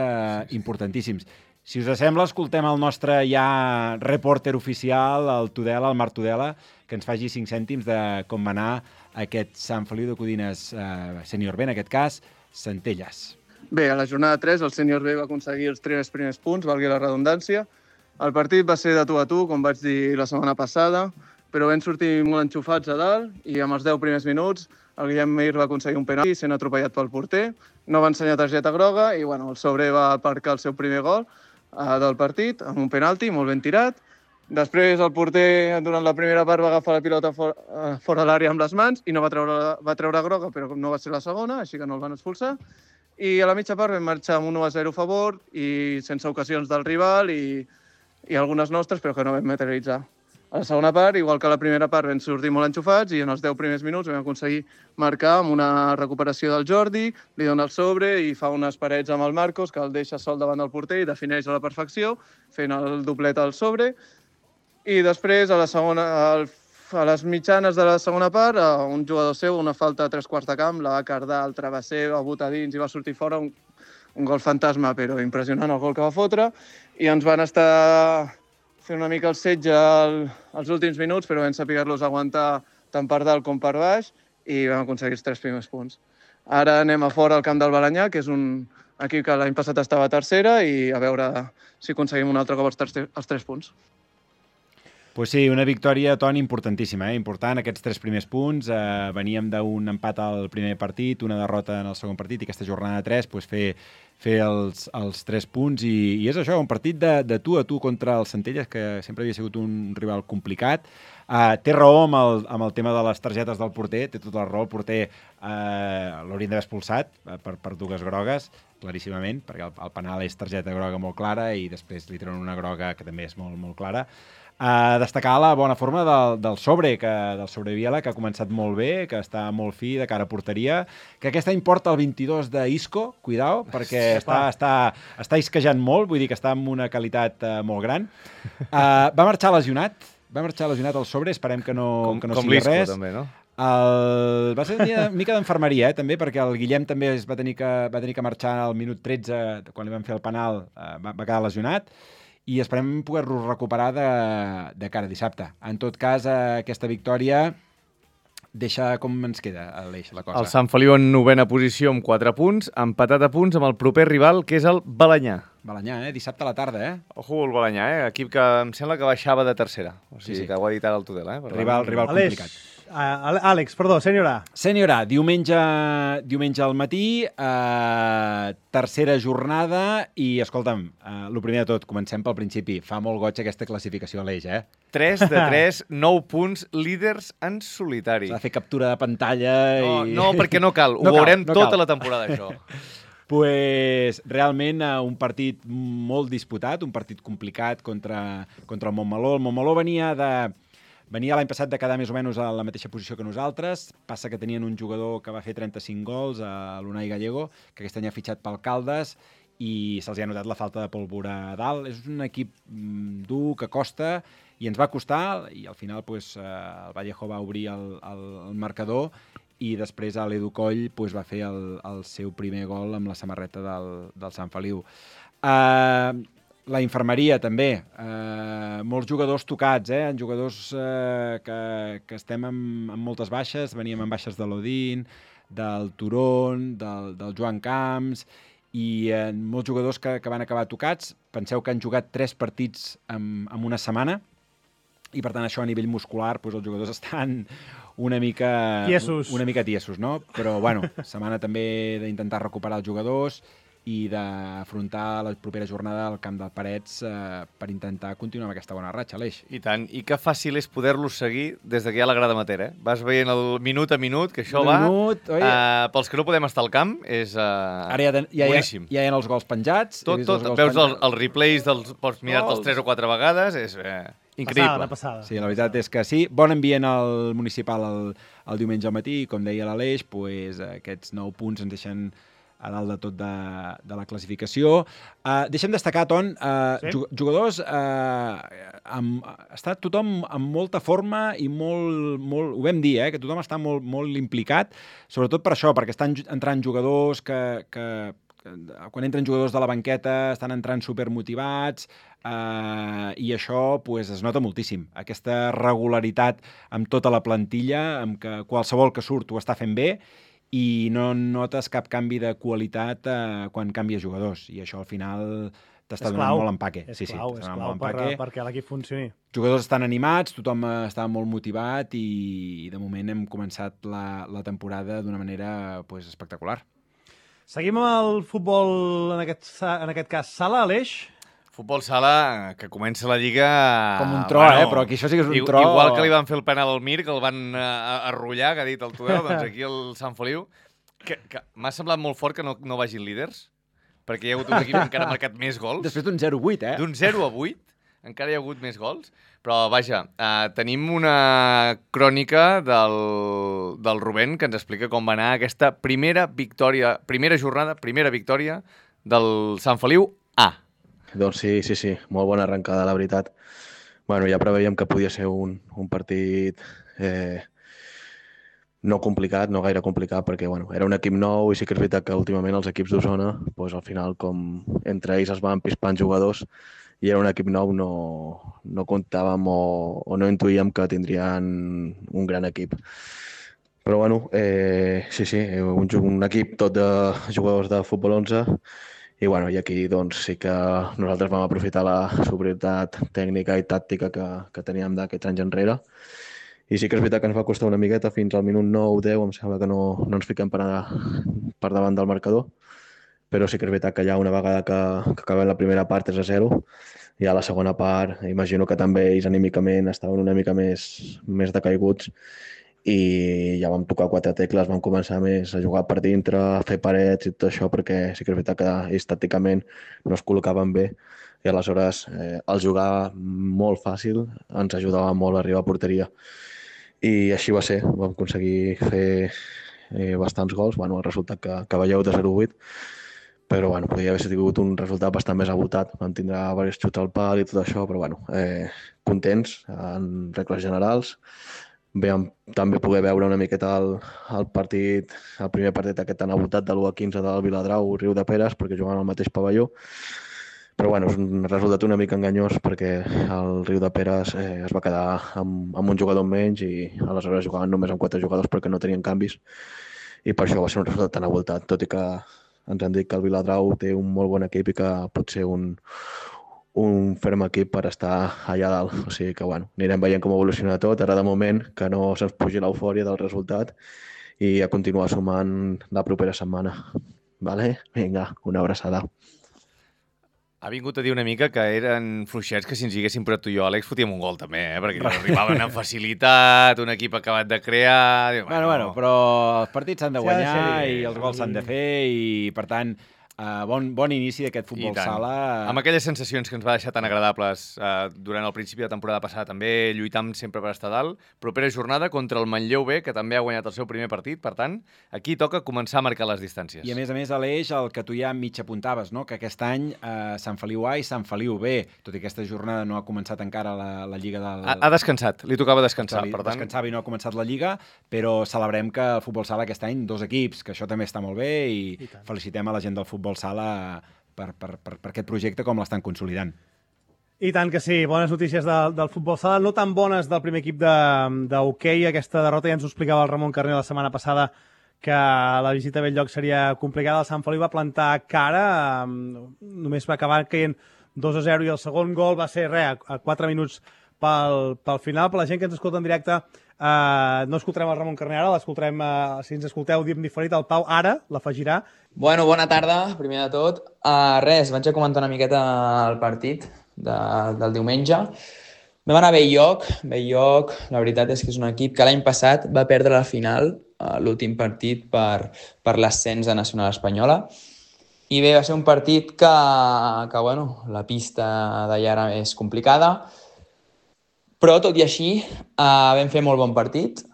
importantíssims. Si us sembla, escoltem el nostre ja reporter oficial, el Tudela, el Marc Tudela, que ens faci 5 cèntims de com va anar aquest Sant Feliu de Codines sènior B, en aquest cas, Centelles. Bé, a la jornada 3 el sènior B va aconseguir els 3 primers punts, valgui la redundància. El partit va ser de tu a tu, com vaig dir la setmana passada, però vam sortir molt enxufats a dalt i amb els 10 primers minuts el Guillem Mir va aconseguir un penalti sent atropellat pel porter. No va ensenyar targeta groga i el Sobre va aparcar el seu primer gol del partit amb un penalti molt ben tirat. Després el porter durant la primera part va agafar la pilota fora l'àrea amb les mans i no va treure groga, però no va ser la segona, així que no el van expulsar. I a la mitja part vam marxar amb un 1-0 a favor i sense ocasions del rival i algunes nostres, però que no vam materialitzar. A la segona part, igual que a la primera part, vam sortir molt enxufats i en els 10 primers minuts vam aconseguir marcar amb una recuperació del Jordi, li dona el sobre i fa unes parets amb el Marcos, que el deixa sol davant del porter i defineix a la perfecció, fent el doblet al sobre. I després, a les mitjanes de la segona part, un jugador seu, una falta a 3/4 de camp, la va cardar al travesser, va botar dins i va sortir fora, un gol fantasma, però impressionant el gol que va fotre, i ens van estar fent una mica el setge als últims minuts, però vam saber-los aguantar tant per dalt com per baix i vam aconseguir els 3 primers punts. Ara anem a fora al camp del Balanyà, que és un equip que l'any passat estava a tercera, i a veure si aconseguim un altre cop els 3 punts. Pues sí, una victòria, Toni, importantíssima, important, aquests 3 primers punts. Veníem d'un empat al primer partit, una derrota en el segon partit, i aquesta jornada 3 pues, fer els 3 punts. I és això, un partit de tu a tu contra el Centelles, que sempre havia sigut un rival complicat. Té raó amb el tema de les targetes del porter, té tota la raó. El porter l'haurien d'haver expulsat per 2 grogues, claríssimament, perquè el penal és targeta groga molt clara i després li treuen una groga que també és molt, molt clara. Destacar la bona forma del Sobre Viela, que ha començat molt bé, que està molt fi de cara a porteria, que aquest any porta el 22 d'Isco, cuidao, perquè està isquejant molt, vull dir que està amb una qualitat molt gran. Va marxar lesionat el Sobre, esperem que no sigui res. Com també, no? Va ser una mica d'enfermeria, també, perquè el Guillem també va tenir que marxar al minut 13, quan li van fer el penal, va quedar lesionat, i esperem poder-los recuperar de cara a dissabte. En tot cas, aquesta victòria deixa com ens queda, Aleix, la cosa. El Sant Feliu en 9ª posició amb 4 punts, empatat a punts amb el proper rival, que és el Balanyà. Balanyà, dissabte a la tarda, Ojo el Balanyà, equip que em sembla que baixava de tercera. O sigui, que ho ha dit ara el Tudela, Rival complicat. Àlex, perdó, sènior A. Sènior A, diumenge al matí, tercera jornada i, escolta'm, el primer de tot, comencem pel principi. Fa molt goig aquesta classificació, Aleix, 3 de 3, 9 punts, líders en solitari. S'ha de fer captura de pantalla i... No, perquè no cal, ho veurem tota la temporada, això. Pues, realment un partit molt disputat, un partit complicat contra el Montmeló. El Montmeló venia l'any passat de quedar més o menys a la mateixa posició que nosaltres. Passa que tenien un jugador que va fer 35 gols, l'Unai Gallego, que aquest any ha fitxat pel Caldes i se'ls ha notat la falta de pólvora a dalt. És un equip dur, que costa, i ens va costar, i al final el Vallejo va obrir el marcador i després l'Edu Coll va fer el seu primer gol amb la samarreta del Sant Feliu. La infermeria, també. Molts jugadors tocats, jugadors que estem amb moltes baixes. Veníem amb baixes de l'Odín, del Turón, del Joan Camps, i molts jugadors que van acabar tocats. Penseu que han jugat 3 partits en una setmana, i per tant això a nivell muscular els jugadors estan una mica tiesos, no? Però, bueno, setmana també d'intentar recuperar els jugadors i d'afrontar la propera jornada al camp del Parets per intentar continuar amb aquesta bona ratxa, Aleix. I tant, i que fàcil és poder-los seguir des que hi ha la grada matera, eh? Vas veient el minut a minut, que això pels que no podem estar al camp, és boníssim. Ja hi ha els gols penjats. Tot, veus els replays, pots mirar-te'ls 3 o 4 vegades, és increïble. Passada. Sí, la veritat és que sí. Bon ambient al municipal el diumenge al matí, com deia l'Aleix, aquests 9 punts ens deixen a dalt de tot de la classificació. Deixem destacar, Ton, jugadors, està tothom amb molta forma i molt ho vam dir, que tothom està molt implicat, sobretot per això, perquè estan entrant jugadors que quan entren jugadors de la banqueta estan entrant supermotivats i això es nota moltíssim. Aquesta regularitat amb tota la plantilla, amb que qualsevol que surt ho està fent bé, i no notes cap canvi de qualitat quan canvies jugadors, i això al final t'està donant molt empaque. És clau perquè l'equip funcioni. Jugadors estan animats, tothom està molt motivat i de moment hem començat la temporada d'una manera espectacular. Seguim amb el futbol, en aquest cas, sala, Aleix? Futbol sala, que comença la Lliga... Com un tro, però aquí això sí que és un tro... Igual que li van fer el penal al Mir, que el van arrollar, que ha dit el Tudel, doncs aquí el Sant Feliu, que m'ha semblat molt fort que no vagin líders, perquè hi ha hagut un equip que encara ha marcat més gols. Després d'un 0-8, D'un 0-8, encara hi ha hagut més gols. Però, vaja, tenim una crònica del Rubén que ens explica com va anar aquesta primera jornada, primera victòria del Sant Feliu A. Doncs sí, molt bona arrencada, la veritat. Bueno, ja preveiem que podia ser un partit no complicat, no gaire complicat, perquè era un equip nou i sí que és veritat que últimament els equips d'Osona, al final, com entre ells es van pispant jugadors i era un equip nou, no comptàvem o no intuïem que tindrien un gran equip. Però bueno, sí, un equip tot de jugadors de futbol 11. I aquí doncs, sí que nosaltres vam aprofitar la superioritat tècnica i tàctica que teníem d'aquests anys enrere. I sí que és veritat que ens va costar una miqueta, fins al minut 9-10 em sembla que no ens fiquem per davant del marcador. Però sí que és veritat que ja una vegada que acabem la primera part 3-0, i a la segona part imagino que també ells anímicament estaven una mica més decaiguts i ja vam tocar 4 tecles, vam començar més a jugar per dintre, a fer parets i tot això, perquè sí que és veritat que ells tàcticament no es col·locaven bé i aleshores el jugar molt fàcil ens ajudava molt a arribar a porteria. I així va ser, vam aconseguir fer bastants gols, el resultat que veieu de 0-8, però podria haver sigut un resultat bastant més abotat, vam tindre diversos xuts al pal i tot això, però contents en regles generals. Vam també poder veure una miqueta el primer partit aquest tan abotat de l'1-15 del Viladrau, Riu de Peres, perquè jugaven al mateix pavelló. Però és un resultat una mica enganyós perquè el Riu de Peres es va quedar amb un jugador menys i aleshores jugaven només amb 4 jugadors perquè no tenien canvis i per això va ser un resultat tan abotat, tot i que ens han dit que el Viladrau té un molt bon equip i que pot ser un ferm equip per estar allà dalt. O sigui que, anirem veient com evoluciona tot. Ara, de moment, que no se'ns pugi l'eufòria del resultat i a continuar sumant la propera setmana. Vale? Vinga, una abraçada. Ha vingut a dir una mica que eren fluixets, que si ens hi haguéssim posat tu i jo, Àlex, fotíem un gol també, perquè arribaven amb facilitat, un equip acabat de crear... Bueno, però els partits s'han de guanyar i els gols s'han de fer i, per tant, bon inici d'aquest futbol sala. Amb aquelles sensacions que ens va deixar tan agradables durant el principi de temporada passada, també lluitam sempre per estar dalt. Propera jornada contra el Manlleu B, que també ha guanyat el seu primer partit. Per tant, aquí toca començar a marcar les distàncies. I a més, Aleix, el que tu ja mig apuntaves, no? Que aquest any Sant Feliu A i Sant Feliu B, tot i aquesta jornada no ha començat encara la Lliga del... Ha descansat, li tocava descansar. Per tant... Descansava i no ha començat la Lliga, però celebrem que el futbol sala aquest any 2 equips, que això també està molt bé i felicitem a la gent del futbol sala per aquest projecte com l'estan consolidant. I tant que sí, bones notícies del futbol sala, no tan bones del primer equip d'hoquei, aquesta derrota ja ens ho explicava el Ramon Carner la setmana passada, que la visita a Belllloc seria complicada. El Sant Feliu va plantar cara, només va acabar caient 2-0 i el segon gol va ser a 4 minuts pel final. Per la gent que ens escolta en directe No escoltarem el Ramon Carner ara, l'escoltarem, si ens escolteu, diem diferit, el Pau ara l'afegirà. Bueno, bona tarda, primer de tot. Res, vaig a comentar una miqueta el partit del diumenge. Vam anar a Bell-lloc. Bell-lloc, la veritat és que és un equip que l'any passat va perdre la final, l'últim partit per l'ascens a Nacional Espanyola. I bé, va ser un partit que bueno, la pista d'allà era més complicada, però tot i així vam fer molt bon partit.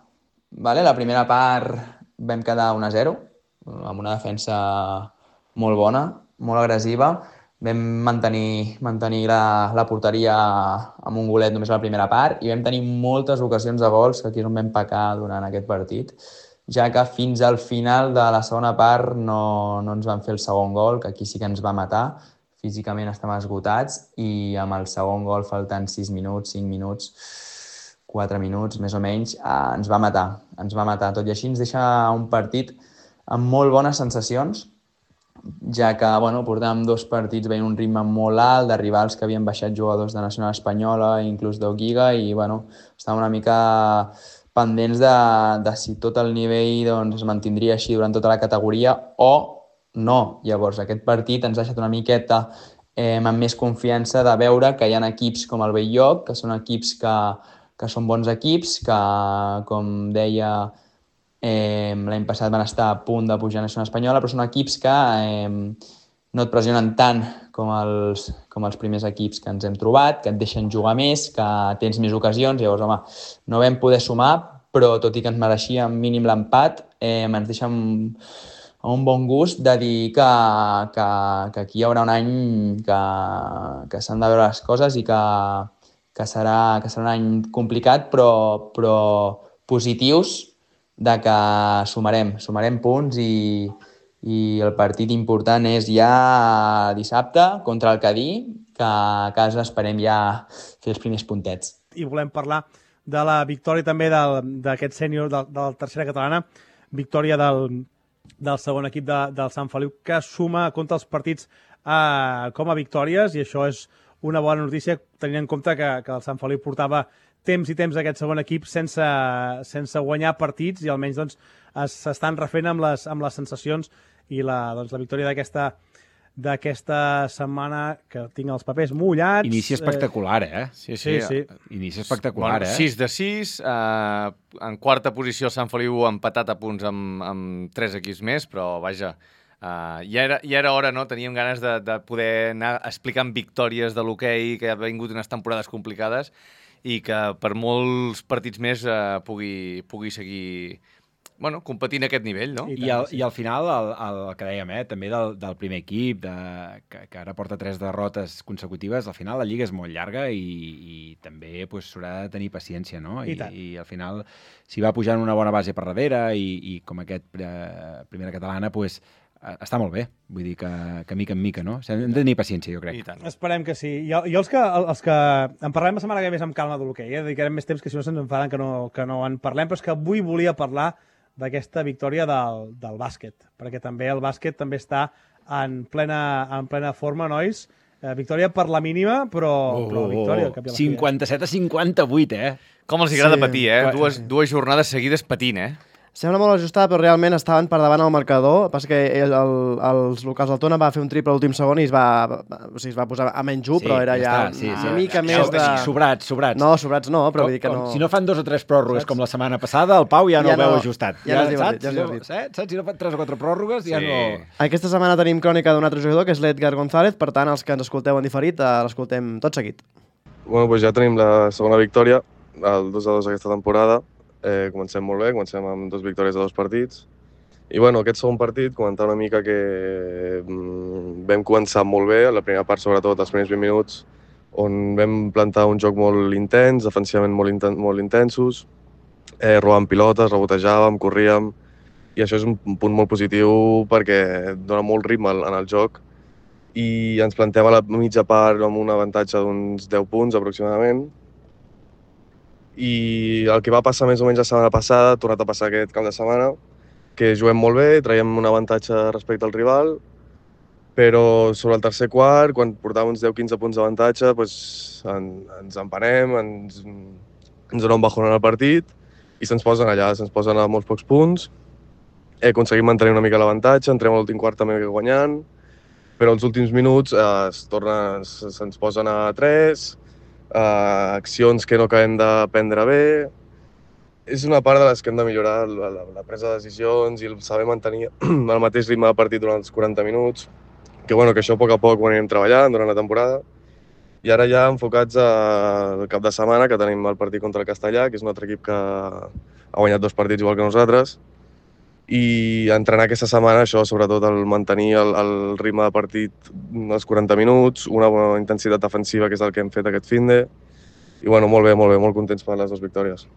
Vale? La primera part vam quedar 1-0, amb una defensa molt bona, molt agressiva. Vam mantenir la porteria amb un golet només a la primera part i vam tenir moltes ocasions de gols, que aquí és on vam pecar durant aquest partit, ja que fins al final de la segona part no ens van fer el segon gol, que aquí sí que ens va matar. Físicament estàvem esgotats i amb el segon gol faltant 6 minuts, 5 minuts, 4 minuts, més o menys, ens va matar. Ens va matar. Tot i així ens deixa un partit amb molt bones sensacions, ja que bueno, portàvem 2 partits veient un ritme molt alt de rivals que havien baixat jugadors de Nacional Espanyola, inclús d'Ogiga, i bueno, estàvem una mica pendents de si tot el nivell doncs, es mantindria així durant tota la categoria o no. Llavors, aquest partit ens ha deixat una miqueta amb més confiança de veure que hi ha equips com el Bell-lloc, que són equips que són bons equips, que, com deia, l'any passat van estar a punt de pujar a Nacional Espanyola, però són equips que no et pressionen tant com els primers equips que ens hem trobat, que et deixen jugar més, que tens més ocasions. Llavors, home, no vam poder sumar, però tot i que ens mereixíem mínim l'empat, ens deixa un bon gust de dir que aquí hi haurà un any que s'han de veure les coses i que serà un any complicat, però positius, de que sumarem punts i el partit important és ja dissabte contra el Cadí, que a casa esperem ja fer els primers puntets. I volem parlar de la victòria també d'aquest sènior de la tercera catalana, victòria del segon equip del Sant Feliu, que suma, compta els partits com a victòries, i això és una bona notícia, tenint en compte que el Sant Feliu portava temps i temps d'aquest segon equip sense guanyar partits, i almenys doncs, s'estan refent amb les sensacions, i la victòria d'aquesta setmana, que tinc els papers mullats... Inici espectacular, Sí. Inici espectacular, bueno, 6 de 6, en quarta posició Sant Feliu empatat a punts amb 3 equips més, però vaja, ja era hora, no? Teníem ganes de poder anar explicant victòries de l'hoquei, que ha vingut unes temporades complicades, i que per molts partits més pugui seguir competint a aquest nivell, no? I al final, el que dèiem, també del primer equip, que ara porta 3 derrotes consecutives, al final la Lliga és molt llarga i també s'haurà de tenir paciència, no? I al final, si va pujant una bona base per darrere i com aquest primera catalana, està molt bé. Vull dir que mica en mica, no? Hem de tenir paciència, jo crec. Esperem que sí. Jo els que en parlem la setmana que ve més amb calma de l'hoquei, dedicarem més temps, que si no se'ns enfaden que no en parlem, però és que avui volia parlar d'aquesta victòria del bàsquet, perquè també el bàsquet també està en plena forma, nois. Victòria per la mínima, però victòria. 57-58, Com els agrada patir, Dues jornades seguides patint, Sembla molt ajustada, però realment estaven per davant al marcador. Passa que els locals del Tona va fer un triple a l'últim segon i es va posar a menys 1, però era ja una mica més de... Sobrats. No, sobrats no, però vull dir que no... Si no fan 2 o 3 pròrrogues com la setmana passada, el Pau ja no ho veu ajustat. Ja no és divertit. Saps? Si no fan 3 o 4 pròrrogues, ja no... Aquesta setmana tenim crònica d'un altre jugador, que és l'Edgar González, per tant, els que ens escolteu en diferit, l'escoltem tot seguit. Bueno, doncs ja tenim la segona victòria, el 2-2 aquesta temporada. Comencem molt bé, comencem amb 2 victòries de 2 partits. I bueno, aquest segon partit, comentar una mica que vam començar molt bé, la primera part sobretot, els primers 20 minuts, on vam plantar un joc molt intens, defensivament molt intensos, robant pilotes, rebotejàvem, corríem, i això és un punt molt positiu perquè dona molt ritme en el joc, i ens plantem a la mitja part amb un avantatge d'uns 10 punts aproximadament. I el que va passar més o menys la setmana passada ha tornat a passar aquest cap de setmana, que juguem molt bé, traiem un avantatge respecte al rival, però sobre el tercer quart, quan portàvem uns 10-15 punts d'avantatge, ens empanem, ens dona un bajón en el partit i se'ns posen allà, se'ns posen a molts pocs punts, aconseguim mantenir una mica l'avantatge, entrem a l'últim quart també guanyant, però als últims minuts se'ns posen a 3, accions que no acabem de prendre bé. És una part de les que hem de millorar, la presa de decisions i el saber mantenir el mateix ritme de partit durant els 40 minuts, que això a poc ho anirem treballant durant la temporada. I ara ja enfocats al cap de setmana, que tenim el partit contra el Castellà, que és un altre equip que ha guanyat 2 partits igual que nosaltres, i entrenar aquesta setmana això, sobretot el mantenir el ritme de partit als 40 minuts, una bona intensitat defensiva, que és el que hem fet aquest finde, i molt bé, molt contents per les 2 victòries.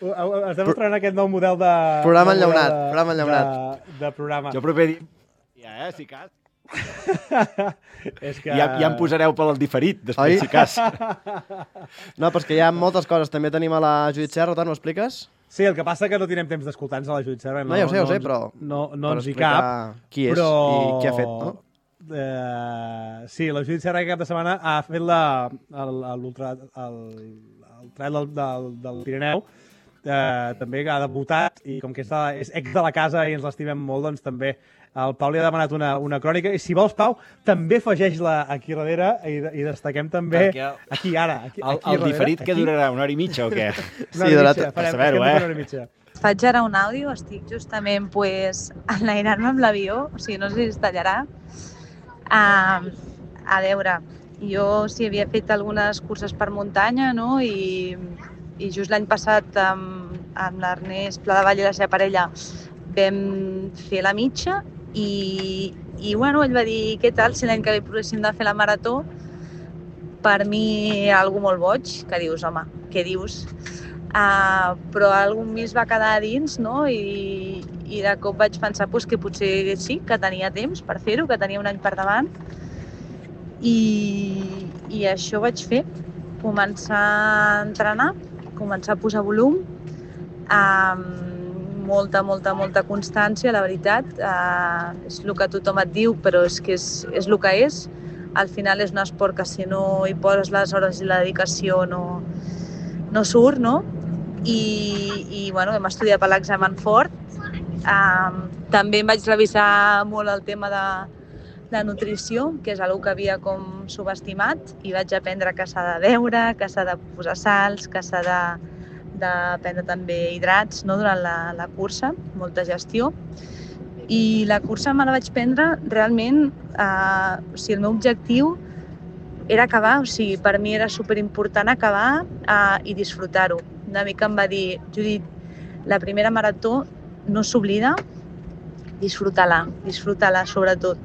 Estem mostrant aquest nou model de... Programa enllaunat. De programa. Jo proper dia... si cas. És que... Ja em posareu pel diferit, després, si cas. No, però és que hi ha moltes coses. També tenim a la Judit Serra, ho expliques? Sí, el que passa que no tindrem temps d'escoltar-nos a la Judit Serra. No, ja ho sé, però... No ens hi cap. Qui és i què ha fet, no? Sí, la Judit Serra aquest cap de setmana ha fet el trail del Pirineu. També ha debutat i com que és ex de la casa i ens l'estimem molt, doncs també el Pau li ha demanat una crònica i si vols, Pau, també afegeix-la aquí darrere i destaquem també aquí ara. El diferit que durarà una hora i mitja o què? Sí, per saber-ho, una hora i mitja. Faig ara un àudio, estic justament enlairant-me amb l'avió, o sigui, no sé si es tallarà. A veure, jo sí havia fet algunes curses per muntanya, no?, i just l'any passat amb l'Ernest Pladevall i la seva parella vam fer la mitja i ell va dir què tal si l'any que ve provéssim de fer la marató. Per mi algo molt boig, que dius, home, què dius? Però algun mig va quedar a dins, no? I de cop vaig pensar que potser sí, que tenia temps per fer-ho, que tenia un any per davant. I això vaig fer, començar a entrenar, començar a posar volum, molta constància, la veritat. És el que tothom et diu, però és que és el que és. Al final és un esport que si no hi poses les hores i la dedicació no surt, no? I hem estudiat per l'examen fort. També em vaig revisar molt el tema de nutrició, que és una que havia com subestimat, i vaig aprendre que s'ha de beure, que s'ha de posar sals, que s'ha de prendre també hidrats, no?, durant la cursa, molta gestió. I la cursa me la vaig prendre realment, el meu objectiu era acabar, per mi era superimportant acabar i disfrutar-ho. Una mica em va dir, Judit, la primera marató no s'oblida, disfruta-la sobretot.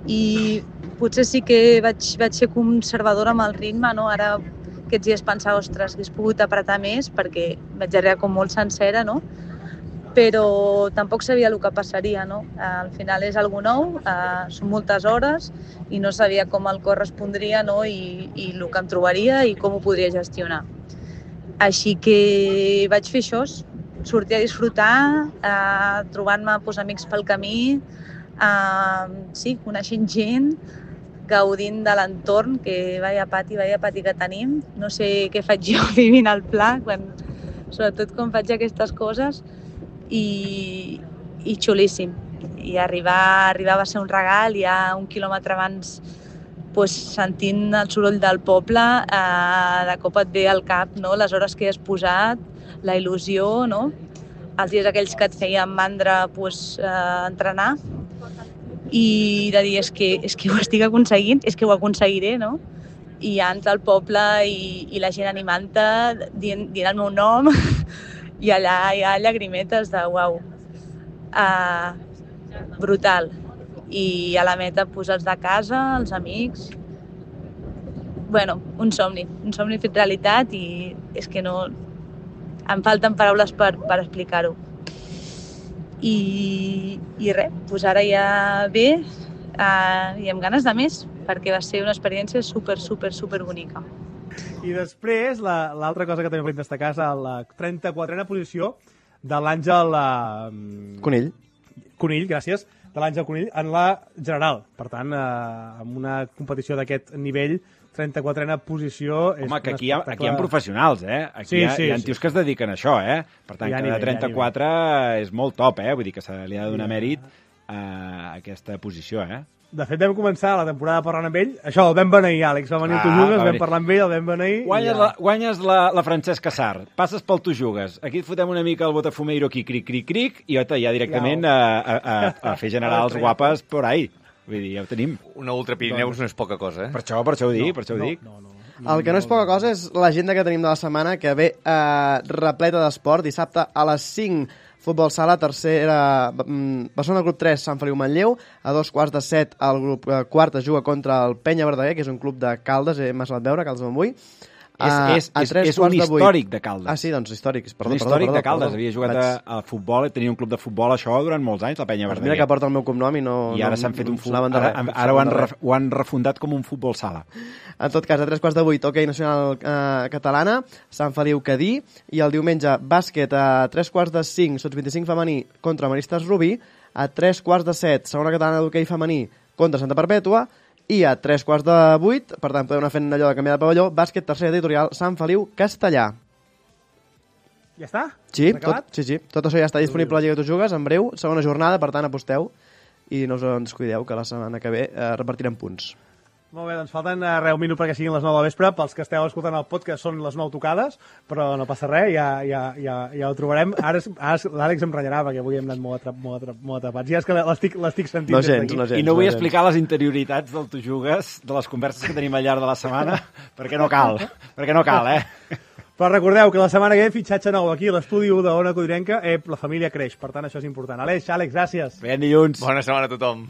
I potser sí que vaig ser conservadora amb el ritme, no? Ara aquests dies pensava, ostres, hauria pogut apretar més perquè vaig arribar com molt sencera, no? Però tampoc sabia el que passaria, no? Al final és algo nou, són moltes hores i no sabia com el cor respondria, no? I el que em trobaria i com ho podria gestionar. Així que vaig fer això, sortir a disfrutar, trobant-me amics pel camí, coneixent gent, gaudint de l'entorn, que vaya pati que tenim. No sé què faig jo vivint al pla, sobretot quan faig aquestes coses, i xulíssim. I arribar va ser un regal, ja 1 quilòmetre abans, sentint el soroll del poble, de cop et ve al cap, no?, les hores que has posat, la il·lusió, no?, els dies aquells que et feien mandra entrenar, i de dir, és que ho estic aconseguint, és que ho aconseguiré, no? I ja entra al poble i la gent animant-te, dient el meu nom, i allà hi ha llagrimetes de uau, brutal. I a la meta els de casa, els amics... Un somni fet realitat, i és que no... Em falten paraules per explicar-ho. I res, ara ja ve i amb ganes de més, perquè va ser una experiència super bonica. I després, l'altra cosa que també volem destacar és la 34a posició de l'Àngel... Conill, gràcies, de l'Àngel Conill, en la general. Per tant, amb una competició d'aquest nivell, 34a posició... Home, que aquí hi ha professionals, eh? Aquí hi ha tios que es dediquen a això, eh? Per tant, que de 34 és molt top, eh? Vull dir que se li ha de donar mèrit a aquesta posició, eh? De fet, vam començar la temporada parlant amb ell. Això, el vam beneir, Àlex. Va venir el Tu Jugues, vam parlar amb ell, el vam beneir... Guanyes la Francesca Sarr, passes pel Tu Jugues, aquí et fotem una mica el Botafumeiro aquí, cric, i ja directament a fer generals guapes por ahí. Vull dir, ja ho tenim. Una Ultra Pirineus no és poca cosa, eh? Per això ho dic. El que no és poca cosa és l'agenda que tenim de la setmana, que ve repleta d'esport. Dissabte a les 5, futbol sala, tercera... Barcelona Club 3, Sant Feliu-Manlleu. A 2:15, el grup quart es juga contra el Penya Verdaguer, que és un club de Caldes, m'ha semblat veure, Caldes Montbui. És un històric de Caldes. Ah, sí, doncs històric. Un històric de Caldes. Havia jugat a futbol, tenia un club de futbol això durant molts anys, la Penya Verdaguer. Mira que porta el meu cognom i no... I ara s'han fet un futbol... Ara ho han refundat com un futbol sala. En tot cas, a 3:15, hoquei nacional catalana, Sant Feliu-Cadí, i el diumenge, bàsquet a 3:45, sots 25 femení contra Maristes Rubí, a 3:15, segona catalana d'hoquei femení contra Santa Perpètua, i a 7:15, per tant, podeu anar fent allò de canviar de pavelló, bàsquet, tercera editorial, Sant Feliu, Castellà. Ja està? Sí, tot això ja està disponible a la Lliga de Tu Jugues, en breu, segona jornada, per tant, aposteu i no us en descuideu, que la setmana que ve repartirem punts. Molt bé, doncs falten un minut perquè siguin les 9 del vespre. Pels que esteu escoltant el podcast són les 9 tocades, però no passa res, ja ho trobarem. Ara l'Àlex em renyarà perquè avui hem anat molt atrapats. Ja és que l'estic sentint des d'aquí. I no vull explicar les interioritats del Tu Jugues, de les converses que tenim al llarg de la setmana, perquè no cal, eh? Però recordeu que la setmana que ve fitxatge nou aquí a l'estudi d'Ona Codinenca, la família creix, per tant això és important. Àlex, gràcies. Ben dilluns. Bona setmana a tothom.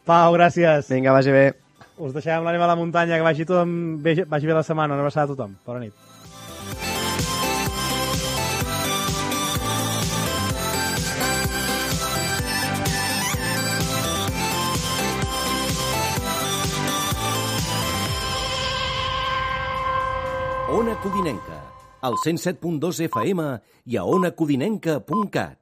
Pau, gràcies. Vinga, vagi bé. Us deixem l'ànima a la muntanya, que vagi bé la setmana. Una abraçada a tothom. Bona nit. Ona Codinenca, al 107.2 FM i a onacodinenca.cat.